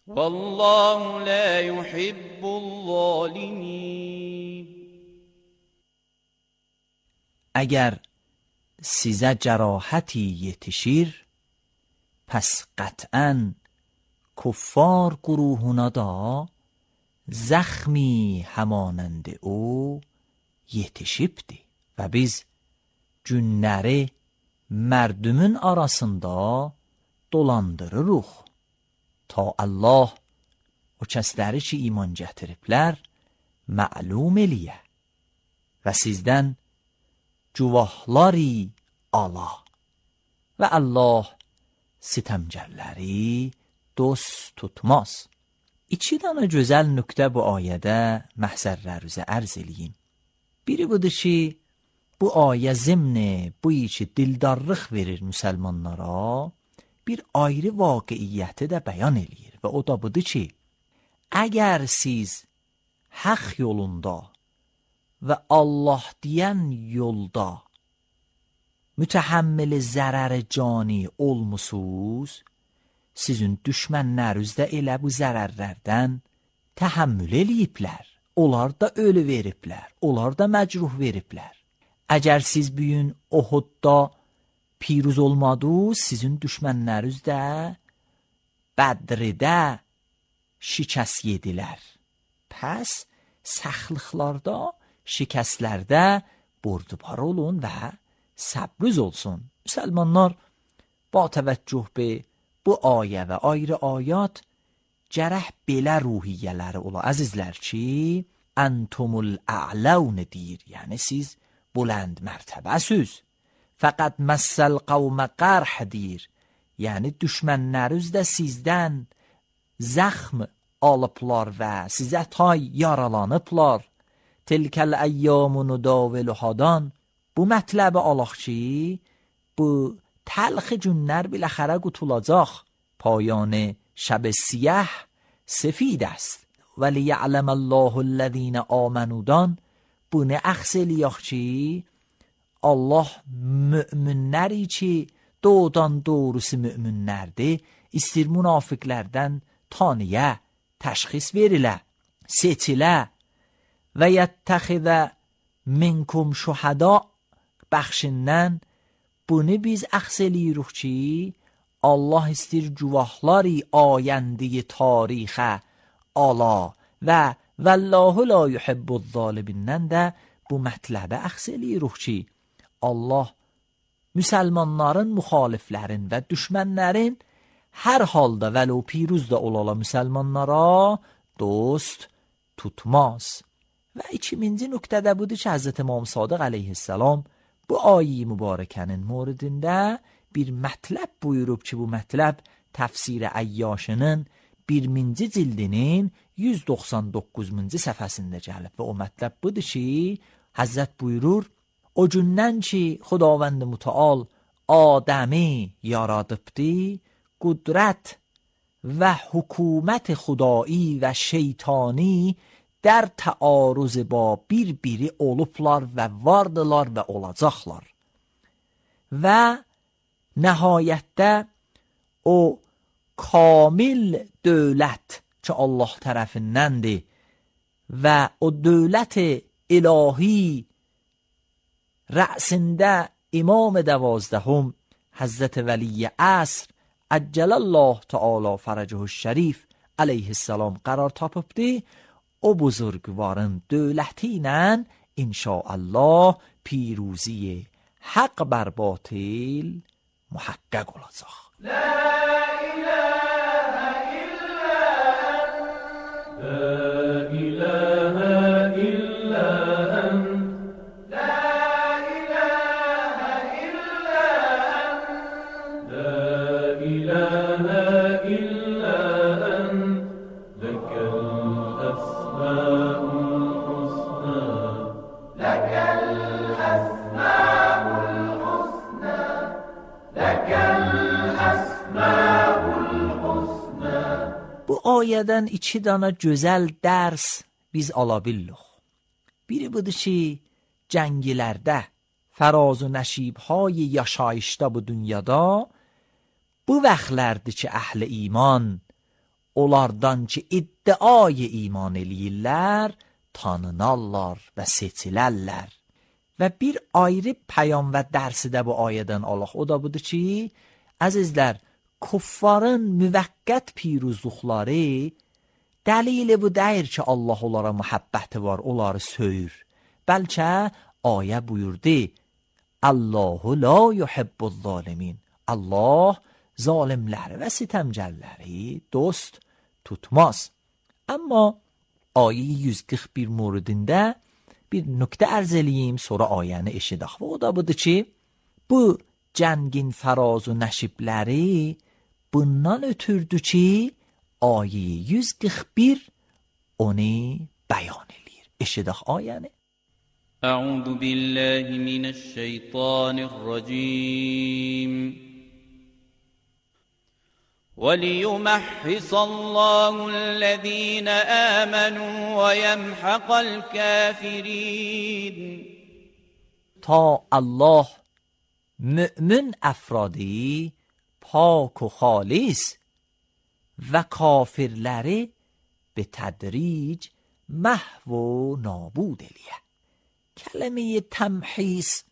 والله لا يحب الظالمين. اگر sizə cərahaتی yetişir, pəs qətən kuffar qurûhuna da zəxmi həmanəndi o yetişibdi və biz günləri mərdümün arasında dolandırırıq ta Allah o kəsləri ki iman gətiriblər məlum eləyə və sizdən cuvahları ala və Allah sitəmgərləri dost tutmaz. İki dənə gözəl nöqtə bu ayədə məhzərlərinizə ərz eləyim. Biri budur ki, bu ayə zimni bu iki dildarlıq verir müsəlmanlara, bir ayrı vaqiiyyəti də bəyan eləyir və o da budur ki, əgər siz haqq yolunda və Allah deyən yolda mütəhəmmil zərər cani olmusunuz, sizin düşmənləriniz də elə bu zərərlərdən təhəmmül eləyiblər. Onlar da ölü veriblər, onlar da məcruh veriblər. Əgər siz bugün Uhudda piruz olmadınız, sizin düşmənləriniz də Bədridə şikəst yedilər. Pəs səxlıqlarda, şikəstlərdə bordubar olun və səbriz olsun. Müsəlmanlar ba təvəccüh be bu ayə və ayrı ayat gərək belə ruhiyyələri ola. Əzizlər ki, əntumul a'laun deyir. Yəni siz bulənd mərtəbəsiz faqat massal qavmə qarh deyir. Yəni düşmənləriniz də sizdən zəxm alıblar və sizə tay yaralanıblar. Tilkəl əyyamu nudaviluhadan. Bu mətləbi alaq ki, bu təlxi günlər biləxərə qutulacaq. پایان شب سیاه سفید است ولی یعلم الله الذین آمنودان bunu əxs eləyək ki, Allah müminləri ki, doğudan doğrusu müminlərdir, istir münafiqlərdən taniyə, təşxis verilə, seçilə və yəttəxidə minkum şuhada bəxşindən bunu biz əxs eləyirik ki, Allah istir cuvahları ayəndi tarixə ala və Vallahu la yuhibbuz zalibindən də bu mətləbə əxs eləyirik ki, Allah müsəlmanların, müxaliflərin və düşmənlərin hər halda vəlo piruz da olala müsəlmanlara dost tutmaz. Və ikinci nöqtədə budur ki, Həzrət İmam Sadiq əleyhissalam bu ayə mübarəkənin moridində bir mətləb buyurub ki, bu mətləb təfsir Əyyashının birinci cildinin yüz doxsan doqquzuncu səhifəsində gəlib və o mətləb budur ki, Həzrət buyurur, o gündən ki, Xudavənd Mütəal Adəmi yaradıbdı, qudrət və hükümət xudai və şeytani در تعارض با bir-biri olublar və vardılar və olacaqlar. Və nəhayətdə o kamil dövlət ki Allah tərəfindəndir və o dövlət ilahi rəsində İmam دوازدهم Həzrət Vəli Əsr Əcələllâh Teala Fərəcəhü Şərif əleyhissalam qərar tapıbdı. O buzurgvarın dövləti ilə inşaallah پیروزی حق بر باطل محقق olacaq. La ilahe illa ent, la ilahe illa ent, la ilahe illa ent, la ilahe illa ent, lekel esma'ul husna, lekel esma'ul husna, lekel esma'ul husna. Bu ayədən iki dana gözəl dərs biz ala bildik. Biri budur ki, cəngilərdə, fəraz و nəşibهای yaşayışda bu dünyada bu vaxtlərdir ki, əhl-i iman onlardan ki, iddiayı iman eləyirlər, tanınarlar və seçilərlər. Və bir ayrı pəyam və dərsi də bu ayədən alaq. O da budur ki, əzizlər, kuffarın müvəqqət piruzluqları dəlili bu deyir ki, Allah onlara muhabbəti var, onları söyür. Bəlkə ayə buyurdu, Allahu la yuhibbuz zalimin. Allah zalimləri və sitəmgərləri dost tutmaz. Amma ayə yüz qırx bir moridində bir nöqtə ərz eləyim, sonra ayəni eşidək. Və o da budur ki, bu cəngin fəraz و nəşibləri bundan ötürdü ki, ayə yüz qırx bir onu bəyan eləyir. Eşidək ayəni. أعوذ بالله من الشيطان الرجيم وليمحص الله الذين آمنوا ويمحق الكافرين. تا الله مؤمن افرادی پاک و خالص و کافرلری به تدریج محو و نابود الیه. کلمه تمحیص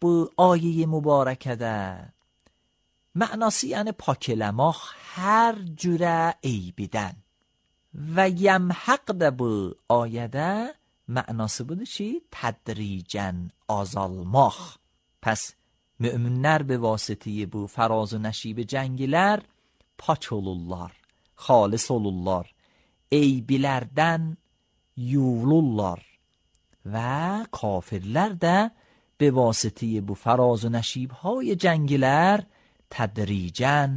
bu آیه مبارکه معناسی یعنی پاکلماخ هر جوره عیبیدن و یمحق ده bu آیه معناسی بوده چی؟ تدریجن azalmaq. پس müminlər به واسطه bu fəraz و nəşib cəngilər pak olurlar, xalis olurlar, eybilərdən yuvulurlar və kafirlər də به واسطه bu فراز و نشیب‌های جنگیler tədricən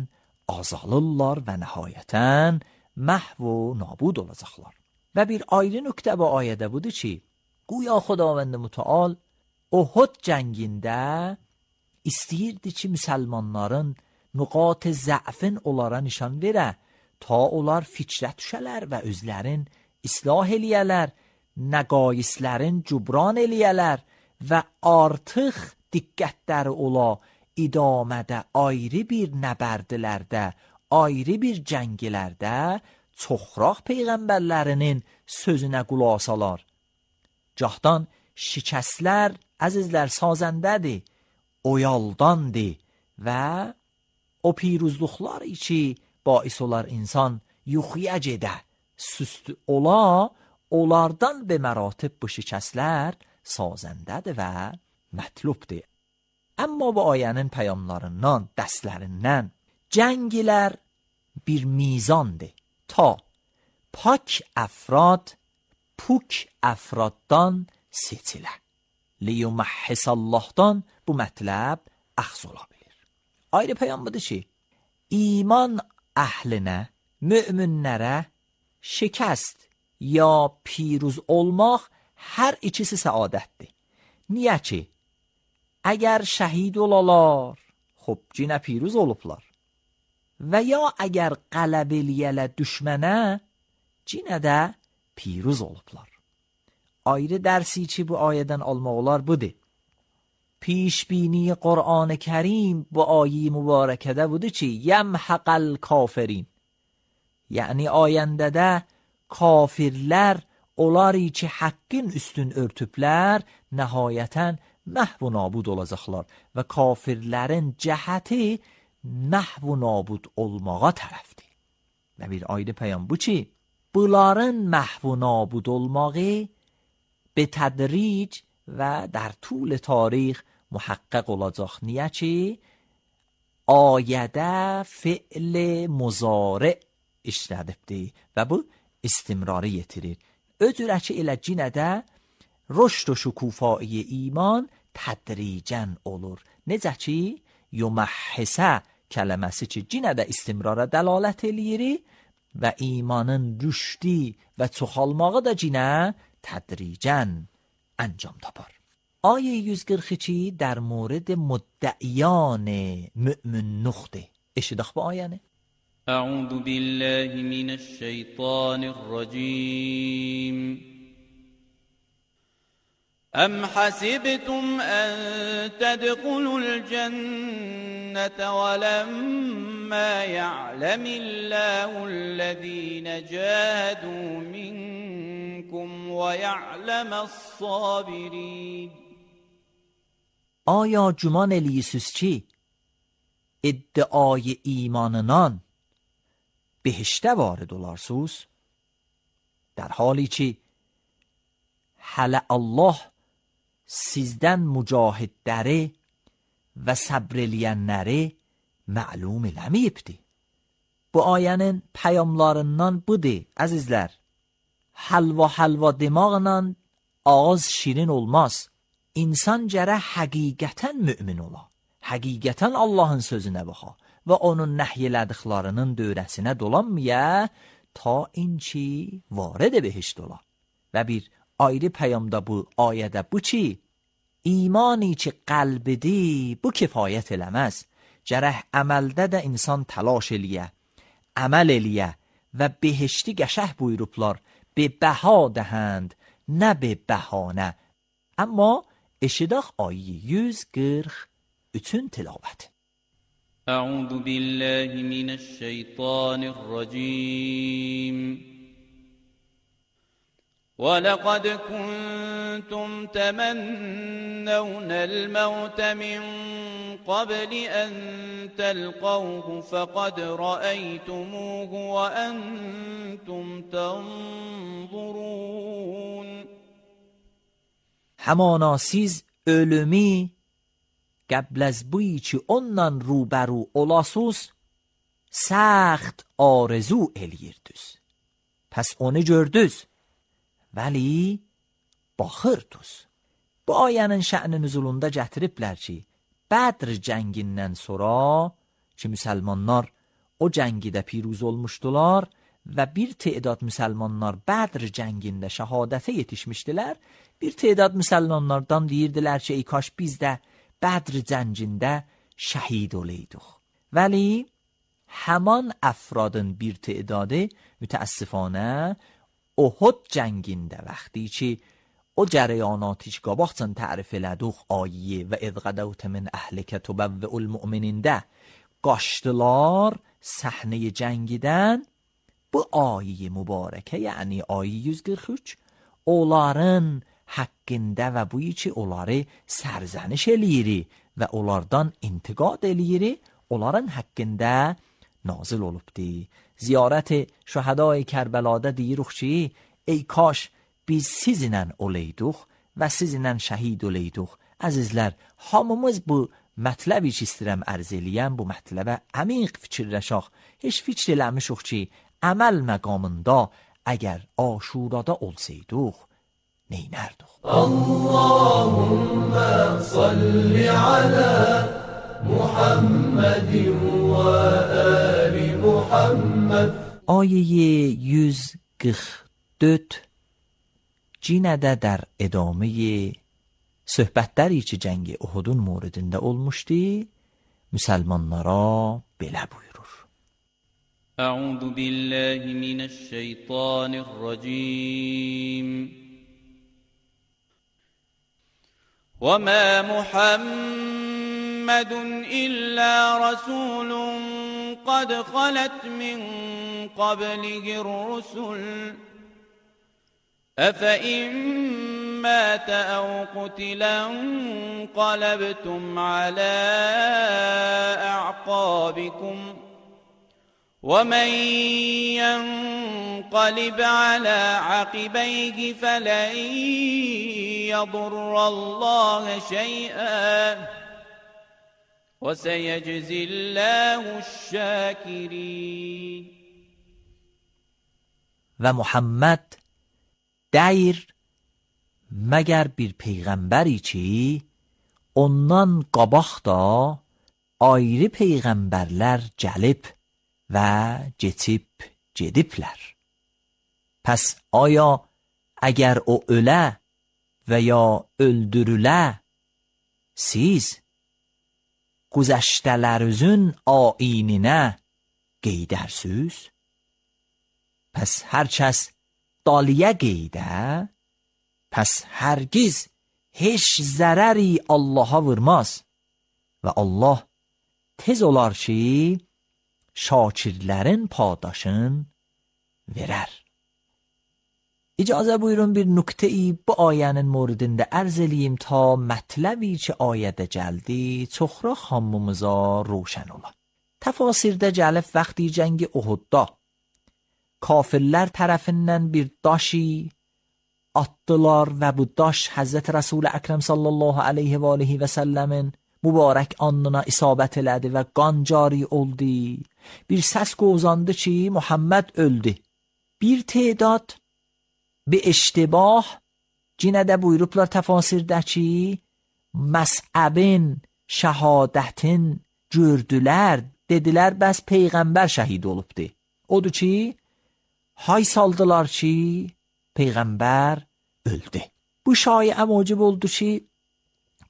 azalırlar və nəhayətən məhv و nabud olacaqlar. Və bir ayrı nöqtə bu ayədə budur ki, güya Xudavənd Mütəal Uhud cəngində istəyirdi ki, müsəlmanların nüqat zəfin onlara nişan verə, ta onlar fikrə düşələr və özlərin islah eləyələr, nəqaislərin cübran eləyələr və artıq diqqətləri ola idamədə ayrı bir nəbərdilərdə, ayrı bir cəngilərdə çoxraq peyğəmbərlərinin sözünə qulaq asalar. Cahdan şikəslər, əzizlər, sazəndədir, oyaldandır və o piruzluqlar ki, bais olar insan yuxuya gedə, süst ola, onlardan به مراتب bu şikəslər sazəndədir və mətlubdir. Amma bu ayənin peyamlarından, dərslərindən cəngilər bir mizandır. Ta pak əfrad puk əfraddan seçilə. Liyuməhhisallahdan bu mətləb əxz ola bilir. Ayrı peyam budur ki, iman əhlinə, müminlərə şikəst ya piruz olmaq hər ikisi səadətdir. Niyə ki, əgər şəhid olalar, xub cinə piruz olublar. Və ya əgər qələb eləyələ düşmənə, cinə də piruz olublar. Ayrı dərsi ki, bu ayədən almaq olar budur. پیشبینی قرآن کریم با آیه مبارکه ده بوده چی؟ یمحق الکافرین، یعنی آینده ده kafirlər onları ki haqqın üstün örtüblər nəhayətən məhv nabud olacaqlar və kafirlərin cəhəti məhv nabud olmağa tərəfdir. Və bir ayrı peyam bu ki, bunların məhv nabud olmağı به تدریج و در طول تاریخ محقق olacaq. Niyə ki, ayədə fi'l muzari işlədibdir və bu istimrarı yetirir. Öcürə ki, elə cinədə rüşd و şükufai iman tədricən olur. Necə ki, yuməhhisə kələməsi ki, cinədə istimrara dəlalət eləyir və imanın rüşdi və çoxalmağı da cinə tədricən انجام tapar. آیه yüz qırx iki در مورد مدعیان مؤمن نخته. اشتداخ با آیانه. اعوذ بالله من الشیطان الرجیم. ام حسبتم ان تدخلوا الجنة ولما يعلم الله الذين جاهدوا منكم ويعلم الصابرين. آیا گمان الیسوس چی؟ ادعای ایماننان بهشته وارد olarsınız؟ در حالی که حل الله sizdən mücahidləri və səbr eləyənləri məlum eləməyibdir. Bu ayənin pəyamlarından budur, əzizlər. Halva halva demaqla ağız şirin olmaz. İnsan gərək həqiqətən mümin ola. Həqiqətən Allahın sözünə baxa və onun nəhy elədiklərinin dövrəsinə dolanmaya ta inki varid behişt ola. Və bir ayrı peyamda bu ayədə bu ki, imani ki qəlbidir, bu kifayət eləməz. Gərək əməldə də insan təlaş eləyə, əməl eləyə və behişti qəşəh buyurublar, be bəha dəhənd, nə be bəhanə. Amma eşidək ayı yüz qırx üçün tilavət. Əuzu billahi minəşşeytanirracim. وَلَقَدْ كُنْتُمْ تَمَنَّوْنَ الْمَوْتَ مِنْ قَبْلِ أَنْ تَلْقَوْهُ فَقَدْ رَأَيْتُمُوهُ وَأَنْتُمْ تَنْظُرُونَ. همانا siz ölümü قبل از بویی که ondan روبرو olasız سخت آرزو eliyirdiniz. Pes onu gördünüz. ولی باخردوز Bu ayənin şə'ni nüzulunda gətiriblər ki, Bədr cəngindən sonra ki, müsəlmanlar o cəngidə piruz olmuşdular və bir tədad müsəlmanlar Bədr cəngində şəhadətə yetişmişdilər. Bir tədad müsəlmanlardan deyirdilər ki, ey kaş biz də Bədr cəngində şəhid olaydık. Vəli həman əfradın bir tədadı mütəəssifانه Uhud cəngində vaxtı ki, o cərəyanatı ki, qabaqcan tərif elədik ayə və اذ غدوت من اهلك تبوئ المؤمنین də qaçdılar səhnəyə cəngidən. Bu ayə mübarəkə, yəni ayə yüz qırx üç, onların haqqında və bu ki, onları sərzəniş eləyir və onlardan intiqad eləyir, onların haqqında nazil olubdi. Ziyarət şəhədai Kərbəladə deyirik ki, ey kaş biz sizinlə olaydıq və sizinlə şəhid olaydıq. Əzizlər, hamımız bu mətləbi ki, istəyirəm ərz eləyəm, bu mətləbə əmiq fikirləşək. Heç fikr eləmişik ki, əməl məqamında əgər aşurada olsaydıq, neynərdik? Allahümme salli alə Muhammedin və əli Muhammed. Ayəyə yüz qırx dörd cinədə در ادامه söhbətləri ki, cəngi Uhudun موردində olmuşdu, müsəlmanlara belə buyurur. أعوذ بالله من الشيطان الرجيم وما محمد إلا رسول قد خلت من قبله الرسل أفإن مات أو قتلا انقلبتم على أعقابكم ومن ينقلب على عقبيه فلن يضر الله شيئا وسيجزي الله الشاكرين. و محمد دیر مگر bir peyğəmbəri ki, ondan qabaq da ayrı peyğəmbərlər gəlib və geçib gediblər. Pəs aya əgər o ölə və ya öldürülə, siz güzəştələrinizin aininə qeydərsiniz? Pəs hər kəs daliyə qeydə, pəs hərgiz heç zərəri Allaha vurmaz və Allah tez olar ki, şakirlərin padaşın verər. İcazə buyurun bir nüktəyi bu ayənin موردində ərz eləyim ta mətləbi ki, ayədə gəldi, çoxra hamımıza roşən ola. Təfasirdə gəlib vaxtı cəngi Uhudda kafirlər tərəfindən bir daşi attılar və bu daş Həzrət Rəsul Əkrəm sallallahu aleyhi və aleyhi və səlləmin mübarək alnına isabət elədi və qan cari oldu. Bir səs qozandı ki, Muhammed öldü. Bir tədad bir iştibah yenə də buyurublar təfasirdə ki, məsəbin, şəhadətin gördülər, dedilər bəs peyğəmbər şəhid olubdu. Odur ki, hay saldılar ki, peyğəmbər öldü. Bu şayə məcib oldu ki,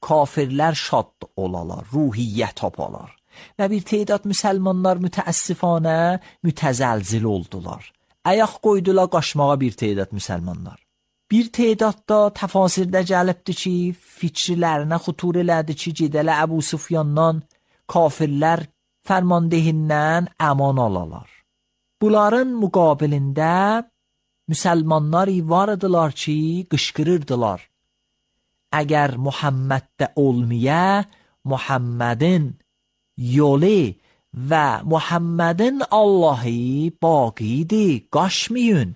kafirlər şad olalar, ruhiyyət tapalar və bir tədad müsəlmanlar mütəəssifanə mütəzəlzil oldular. Ayaq qoydular qaçmağa bir tədad müsəlmanlar. Bir tədad da təfasirdə gəlibdi ki, fikirlərinə xutur elədi ki, gedələ Əbu Sufyandan kafirlər fərmandehindən əman alalar. Bunların müqabilində müsəlmanlar var idilar ki, qışqırırdılar. Əgər Muhammeddə olmaya, Muhammedin yolu və Muhammedin Allahı baqidir, qaçmayın.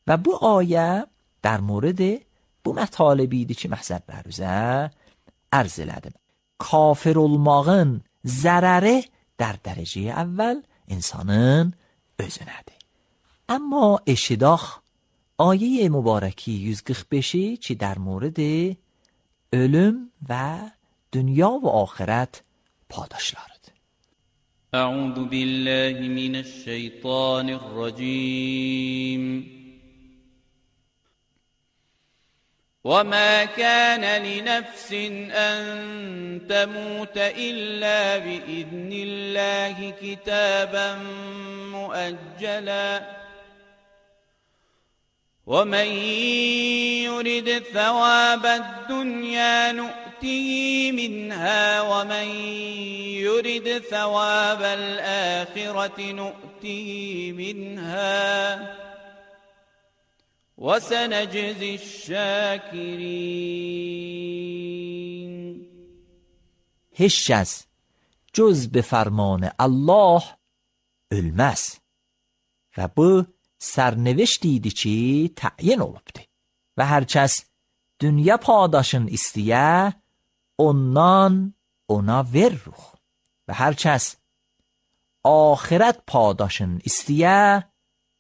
Və bu ayə در مورد bu mətalibi idi ki, məhzəblərinizə ərz elədim. Kafir olmağın zərəri در dərəcəyə əvvəl insanın özünədir. Amma eşidaq ayə mübarəki yüz qırx beşi ki, در مورد ölüm ve dünya ve ahiret paydaşlarıdır. أعوذ بالله من الشيطان الرجيم وما كان لنفس أن تموت إلا بإذن الله كتابا مؤجلا ومن يرد ثواب الدنيا نؤته منها ومن يرد ثواب الآخرة نؤته منها وسنجزي الشاكرين. هیچ کس جز به فرمان الله ölmez و bu sərneviştiydi ki təyin olubdu. Və hər kəs dünya paydaşın istiyə ondan ona veririk. Və hər kəs ahirət paydaşın istiyə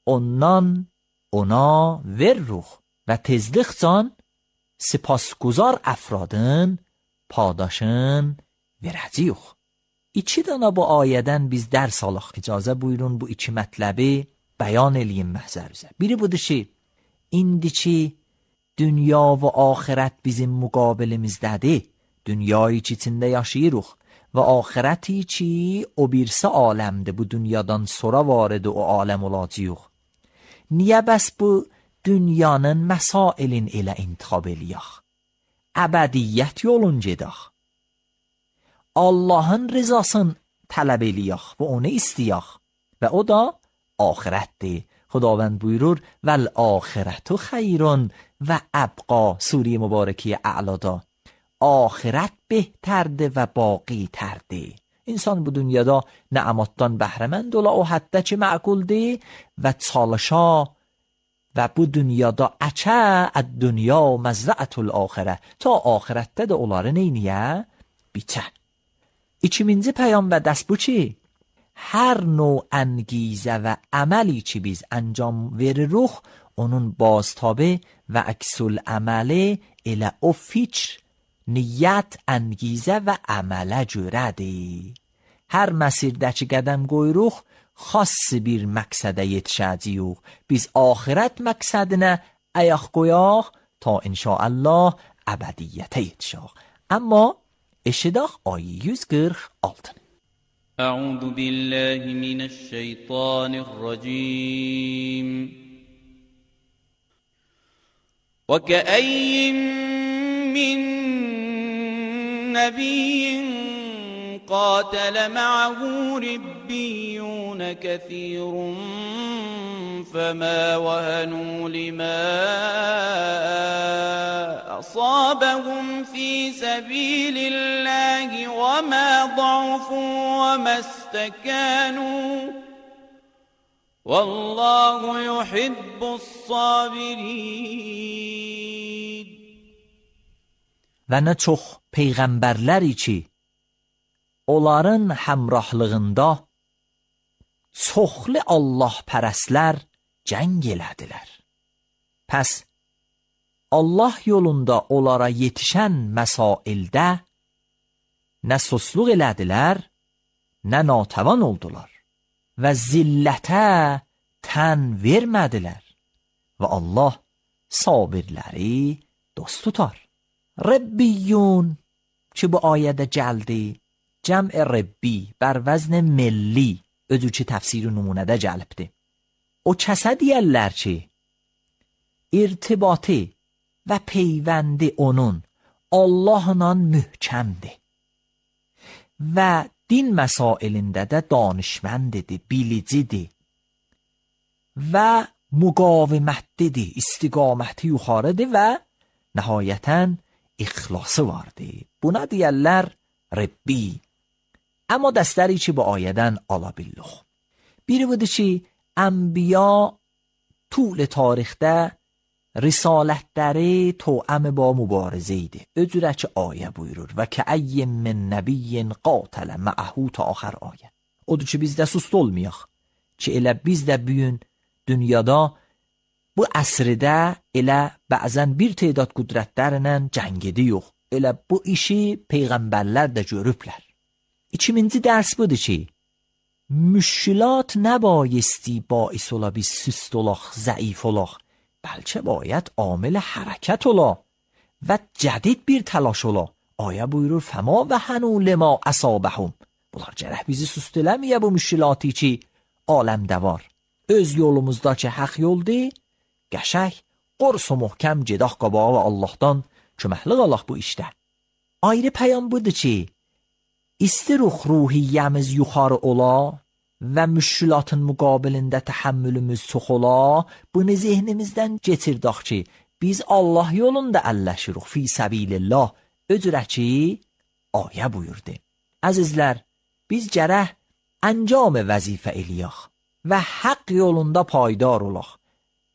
ondan ona veririk. Və tezlikcan sipasguzar əfradın paydaşın verəcəyik. İki dana bu ayədən biz dərs alaq. İcazə buyurun bu iki mətləbi bəyan eləyim məhzərimizə. Biri budur ki, indiki dünya və axirət bizim müqabilimizdədir. Dünyayı ki içində yaşayırıq və axirəti ki o birisi aləmdir. Bu dünyadan sonra varid o aləm olacağıq. Niyə bəs bu dünyanın məsailin elə intixab eləyək? Əbədiyyət yolun gedək. Allahın rızasını tələb eləyək və onu istəyək və o da آخرت. خداوند buyurur ول آخرت خیر و ابقا. سوره مبارکه اعلادا آخرت بهترده و باقی ترده. انسان bu dünyada نعماتdan bəhrəmənd ola o həddə ki məquldir və çalışa və bu dünyada əçə əd-dünya məzrəətul axirə ta axirətdə də onları neyniyə biçə. İkinci pəyam və dərs bu ki hər növ انگیزه و عملی که biz انجام veririk onun بازتابه و عکس العمل elə o fikr, niyyət, انگیزه və əmələ görədir. Hər məsirdəki qədəm qoyuruq, xas bir məqsədə yetişəcəyik. Biz axirət məqsədinə ayaq qoyaq ta inşaallah əbədiyyətə yetişək. Amma eşidək ayı yüz qırx altı. أعوذ بالله من الشيطان الرجيم وكأي من نبي قاتل معه ربيون كثير فما وهنوا لما أصابهم في سبيل الله وما ضعفوا وما استكانوا والله يحب الصابرين. Və nə çox peyğəmbərləri ki onların həmrahlığında çoxlu Allah pərəstlər cəng elədilər. Pəs Allah yolunda onlara yetişən məsaildə nə susluq elədilər, nə natəvan oldular və zillətə tən vermədilər və Allah sabirləri dost tutar. Rəbbiyyun ki bu ayədə gəldi, cəm'i rəbbi bər vəzn milli özü ki təfsir-i numunədə gəlibdir. O kəsə deyərlər ki irtibatı və peyvəndi onun Allahla mühkəmdir və din məsailində də danışməndidir, bilicidir və müqavimətlidir, istiqaməti yuxarıdır və nəhayətən ixlası vardır. Buna deyərlər Rəbbi. Amma dəstəri ki bu ayədən ala billuq. Biri budur ki ənbiya طول tarixdə risalətləri توأم با mübarizə idi. Özürə ki ayə buyurur və kəəy min nəbiyyin qatələ məəhu ta axır ayə. Odur ki biz də sust olmayaq ki elə biz də bugün dünyada bu əsrdə elə bəzən bir tədad qüdrətlərlə cəng edirik. Elə bu işi peyğəmbərlər də görüblər. İkinci dərs budur ki, müşkilat nəbayisتی bais ola biz süst olaq, zəif olaq, bəlkə bayət amil hərəkət ola və cədid bir təlaş ola. Ayə buyurur fəma və hənû limə əsabəhum. Bunlar gərək bizi süst eləməyə bu müşkilaتی ki, aləmdə var. Öz yolumuzda ki, haq yoldur, qəşək, qors و محkəm gedək qabağa və Allahdan köməklik alaq bu işdə. Ayrı pəyam budur ki, istirux ruhiyyəmiz yuxarı ola və müşkilatın müqabilində təhəmmülümüz çox ola, bunu zehnimizdən getirdək ki, biz Allah yolunda əlləşiruq fi səbilillah, öcürə ki, ayə buyurdu. Əzizlər, biz gərək əncam vəzifə eləyək və haqq yolunda paydar olaq.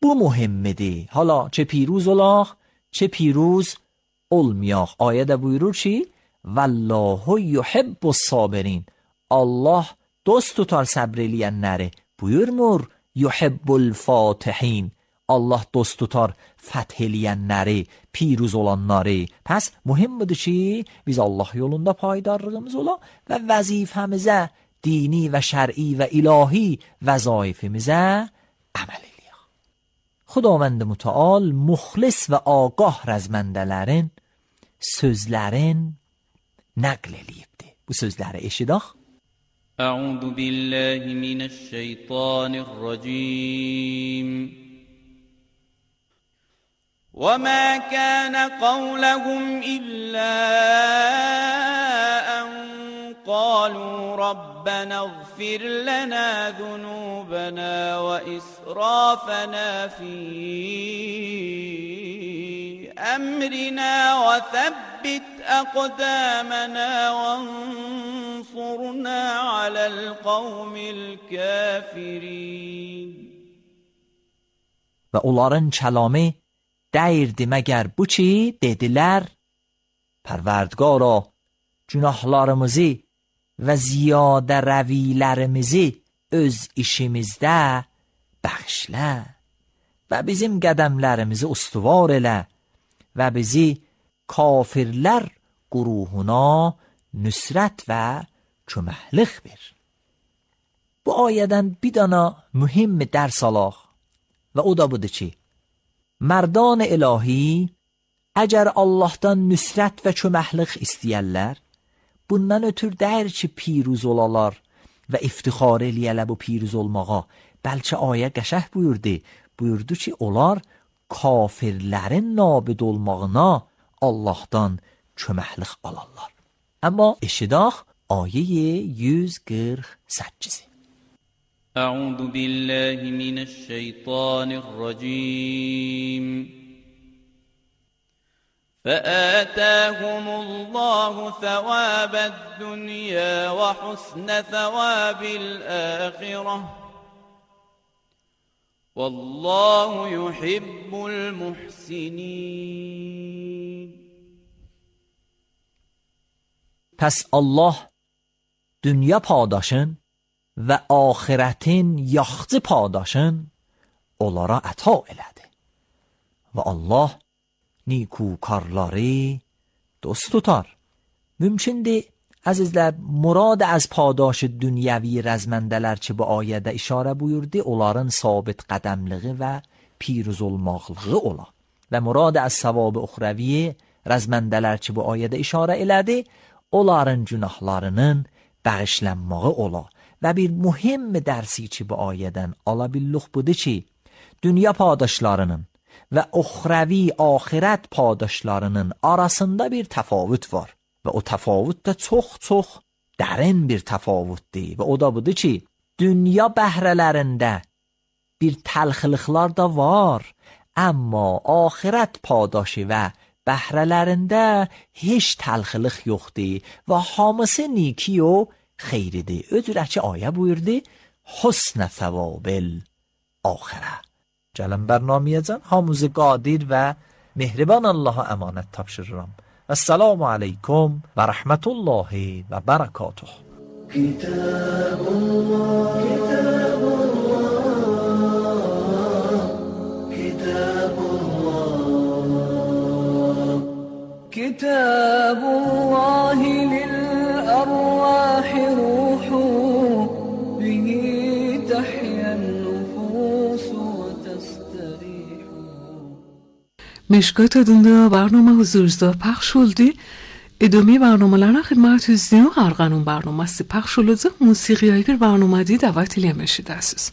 Bu mühimmidir. Hala çe پیروز olaq, çe پیروز olmayaq. Ayədə buyurur ki, Vallahu yuhibbu sabirin. Allah dost tutar səbr eləyənləri. Buyurmur, yuhibbul fatihin. Allah dost tutar fəth eləyənləri, پیروز olanları. Pəs mühimmidir ki, biz Allah yolunda paydarlığımız ola və vəzifəmizə, dini və şər'i və ilahi vəzaifimizə əməl eləyək. Xudavənd mütəal muxlis və ağah rəzməndələrin sözlərin nəql eləyibdir. Bu sözləri eşidək. Əuzu billahi minəşşeytanirracim. وَمَا كَانَ قَوْلَهُمْ إِلَّا أَنْ قَالُوا رَبَّنَا اغْفِرْ لَنَا ذُنُوبَنَا وَإِسْرَافَنَا فِي أَمْرِنَا وَثَبِّتْ أَقْدَامَنَا وَانصُرْنَا عَلَى الْقَوْمِ الْكَافِرِينَ. Və onların kəlamı dəyirdi məgər bu ki, dedilər, Pərvərdigara, günahlarımızı və ziyadə rəvilərimizi öz işimizdə bəxşlə və bizim qədəmlərimizi ustuvar elə və bizi kafirlər quruhuna nüsrət və köməklik ver. Bu ayədən bir dana mühim dərs alaq və o da budur ki, mərdan ilahi əgər Allahdan nüsrət və köməklik istəyərlər, bundan ötür dəyir ki, piruz olalar və iftixar eləyələ bu piruz olmağa. Bəlkə ayə qəşəh buyurdu, buyurdu ki, onlar kafirlərin nabid olmağına Allahdan köməklik alarlar. Amma eşidək ayə yüz qırx səkkiz. أعوذ بالله من الشيطان الرجيم. فآتاهم الله ثواب الدنيا وحسن ثواب الآخرة والله يحب المحسنين. پس Allah dünya paydaşın və axiretin yaxçı paydaşın onlara əta elədi. Və Allah نیکوکارları dost tutar. Mümkündür, əzizlər, murad az paydaş dünyəvi rəzməndələr ki, bu ayədə işarə buyurdu, onların sabit qədəmliği və piruz olmaqlığı ola. Və murad az savab uxravi rəzməndələr ki, bu ayədə işarə elədi, onların günahlarının bağışlanmağı ola. Və bir mühim dərsi ki, bu ayədən ala billuq budur ki, dünya paydaşlarının və uxravi axirət paydaşlarının arasında bir təfavüt var. Və o təfavüt də çox-çox dərin bir təfavütdir. Və o da budur ki, dünya bəhrələrində bir təlxiliqlar da var, amma axirət paydaşı və bəhrələrində heç təlxiliq yoxdur və hamısı niki o xeyridir. Öcürə ki, ayə buyurdu, حسن ثواب الآخره. Gəlin bərnamiyəcən hamımızı qadir və mehriban Allaha əmanət tapşırıram. Esselamu aleykum və rəhmətullahi və bərəkatuh. Kitabullah, Kitabullah, Kitabullah, Kitab Mishkat adında barnoma huzurda paylaş oldu. ادامه برنامه‌larına خدمت izleyen Arganun barnaması paylaş olacak. Musiqiyi bir barnamada davet edilmişsiniz.